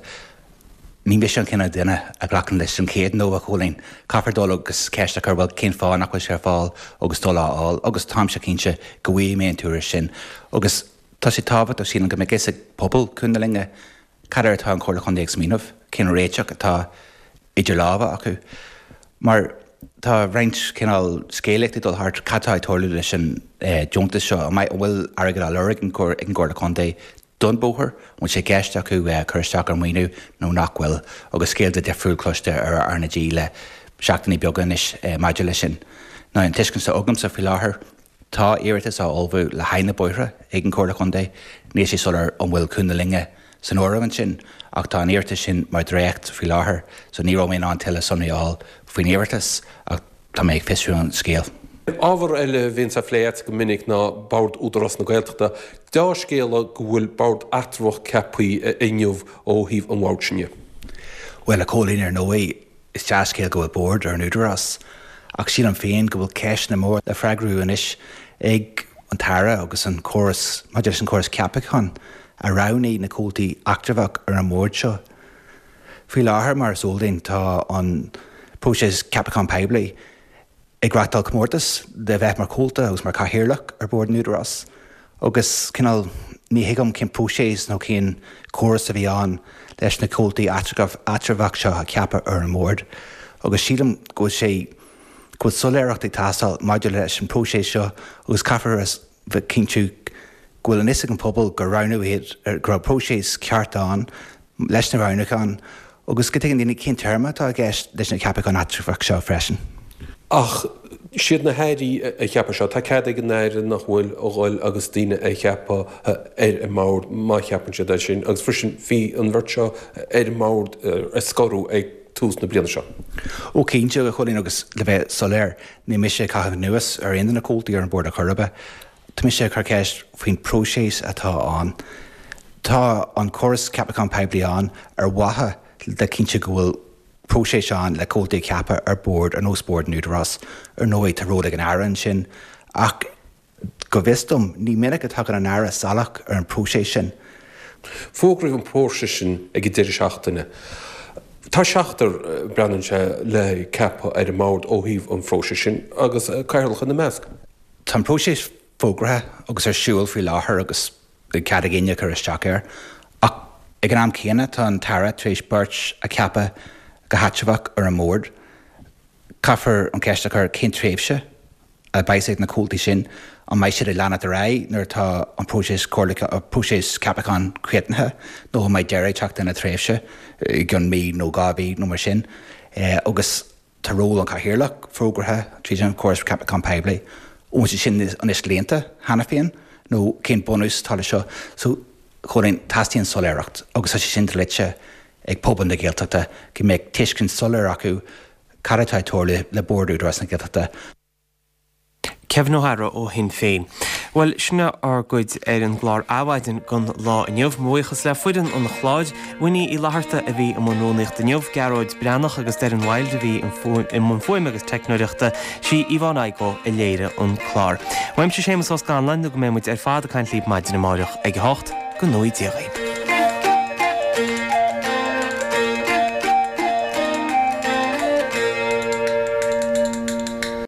Ní mise an cineál duine a ghlacann leis an chéad no, a Chóilín. Caithfear dul agus ceist a chur, bhuel, cén fáth nach bhfuil sé ar fáil agus dul á fháil agus táimse cinnte go bhfaighidh mé an tuairisc sin. Agus tá sé tábhachtach, sílim, go mbeidh fhios ag pobal Chuan na Loinge cad air atá an Chomhairle Chontae ag smaoineamh, cén réiteach atá idir lámha acu. Mar tá roinnt cineál scéalaíocht ag dul thart, cad tá ag tarlú leis an deontas seo, an bhfuil airgead á lorg ag an gComhairle Contae don bhóthar, an bhfuil sé i gceist acu cur isteach ar mhaoiniú nó nach bhfuil, agus scéalta difriúil cloiste ar R na G le seachtainí beaga anois maidir leis sin. Now an tuiscint atá agamsa faoi láthair, tá iarratas á ullmhú le haghaidh na bóithre ag an Chomhairle Contae. Níl sé soiléir an bhfuil Cuan na Loinge san áireamh ansin ach tá an iarratas sin mar dhréacht faoi láthair so ní raibh mé in ann tuilleadh sonraí a fháil faoin iarratas ach tá mé ag fiosrú an scéil. Ábhar eile a bhíonns á phlé agat go minic ná Bord Údarás na Gaeltachta. Deá-scéala go bhfuil bord eatramhach ceaptha inniu ó thaobh an bhoird sin dhe. Bhuel, a Chóilín, ar ndóigh, is dea-scéal go bhfuil bord ar an Údarás, ach sílim féin go bhfuil ceisteanna móra le freagrú anois ag an tAire agus an córas, maidir leis an chóras ceapacháin a roghnaigh na comhaltaí eatramhach ar an mbord seo. Faoi láthair, mar is eol duinn, tá an próiseas ceapacháin poiblí ag reáchtáil comórtas le bheith mar chomhalta agus mar chathaoirleach ar bhord an Údarás agus cineál ní thuigim cén próiseas nó cén córas a bhí ann leis na comhaltaí eatramhach seo a cheapadh ar an mbord agus sílim go bhfuil sé go bhfuil soiléireacht ag teastáil maidir leis an próiseas seo agus caithfear a bheith cinntiú go bhfuil an fhios ag an phobal gur roghnú iad, go raibh próiseas ceart ann leis na roghnúcháin agus go dtuigeann daoine cén téarma atá i gceist leis na ceapacháin eatramhach seo freisin. Ach siad na hairí a cheapadh seo. Tá cead ag an Aire, nach bhfuil, a dhul agus daoine a cheapadh ar an mbord má cheapann siad é sin. Agus freisin bhí an bheirt seo ar an mbord a scoradh ag tús na bliana seo. Ó cinnte, a Chóilín, agus le bheith soiléir, níl mise ag caitheamh anuas ar aon de na comhaltaí ar an bord ar chor ar bith. Tá mise ag cur ceist faoin próiseas atá ann. Tá an córas ceapachán poiblí ann ar mhaithe le cinntiú go bhfuil próiseas ann le comhaltaí a cheapadh ar bord ar nós bord an Údarás. Ar ndóigh, tá ról ag an Aire ansin, ach go bhfios dom, ní minic a tagann an Aire salach ar an bpróiseas sin. Fógraíodh an próiseas sin ag an deireadh seachtaine. Tá seachtar, breathnaíonn sé, le ceapadh ar an mbord ó thaobh an phróisis sin, agus cathaoirleach ina measc. Tá an próiseas fógraithe agus ar siúl faoi láthair agus beidh cead ag éinne cur isteach air. Ach ag an am céanna tá an tAire tar éis beirt a cheapadh go heatramhach ar an mbord. Caithfear an cheist a chur cén tréimhse a bheas ag na comhaltaí sin, an mbeidh siad ag leanacht ar aghaidh nuair atá an próiseas próiseas ceapacháin críochnaithe nó an mbeidh deireadh ag teacht lena tréimhse i gcionn mí nó dhá mhí nó mar sin. Agus tá ról an Chathaoirleach fógraithe tríd an chóras ceapachán poiblí. An bhfuil sé sin anois líonta cheana féin nó cén bunús atá leis seo? So, Chóilín, teastaíonn soiléireacht agus tá sé sin dlite ag pobal na Gaeltachta go mbeadh tuiscint soiléir acu cad atá ag tarlú le Bord Údarás na Gaeltachta. Kevin O'Hara ó Shinn Féin. Bhuel, sin é ár gcuid ar an gclár Adhmhaidin don lá inniu. Mo bhuíochas le foireann an chláir, Winnie Uí Fhlatharta a bhí i mbun rúnaíochta inniu, Gearóid Breathnach agus Doireann Wild a bhí i mbun fuaime agus teicneoireachta, sí Yvonne Igoe a léirigh an clár. Uaimse Séamus Ó Scanláin nó go mbeidh muid ar fad ag caint libh maidin amáireach ag a hocht, go ngnóthaí Dia dhaoib.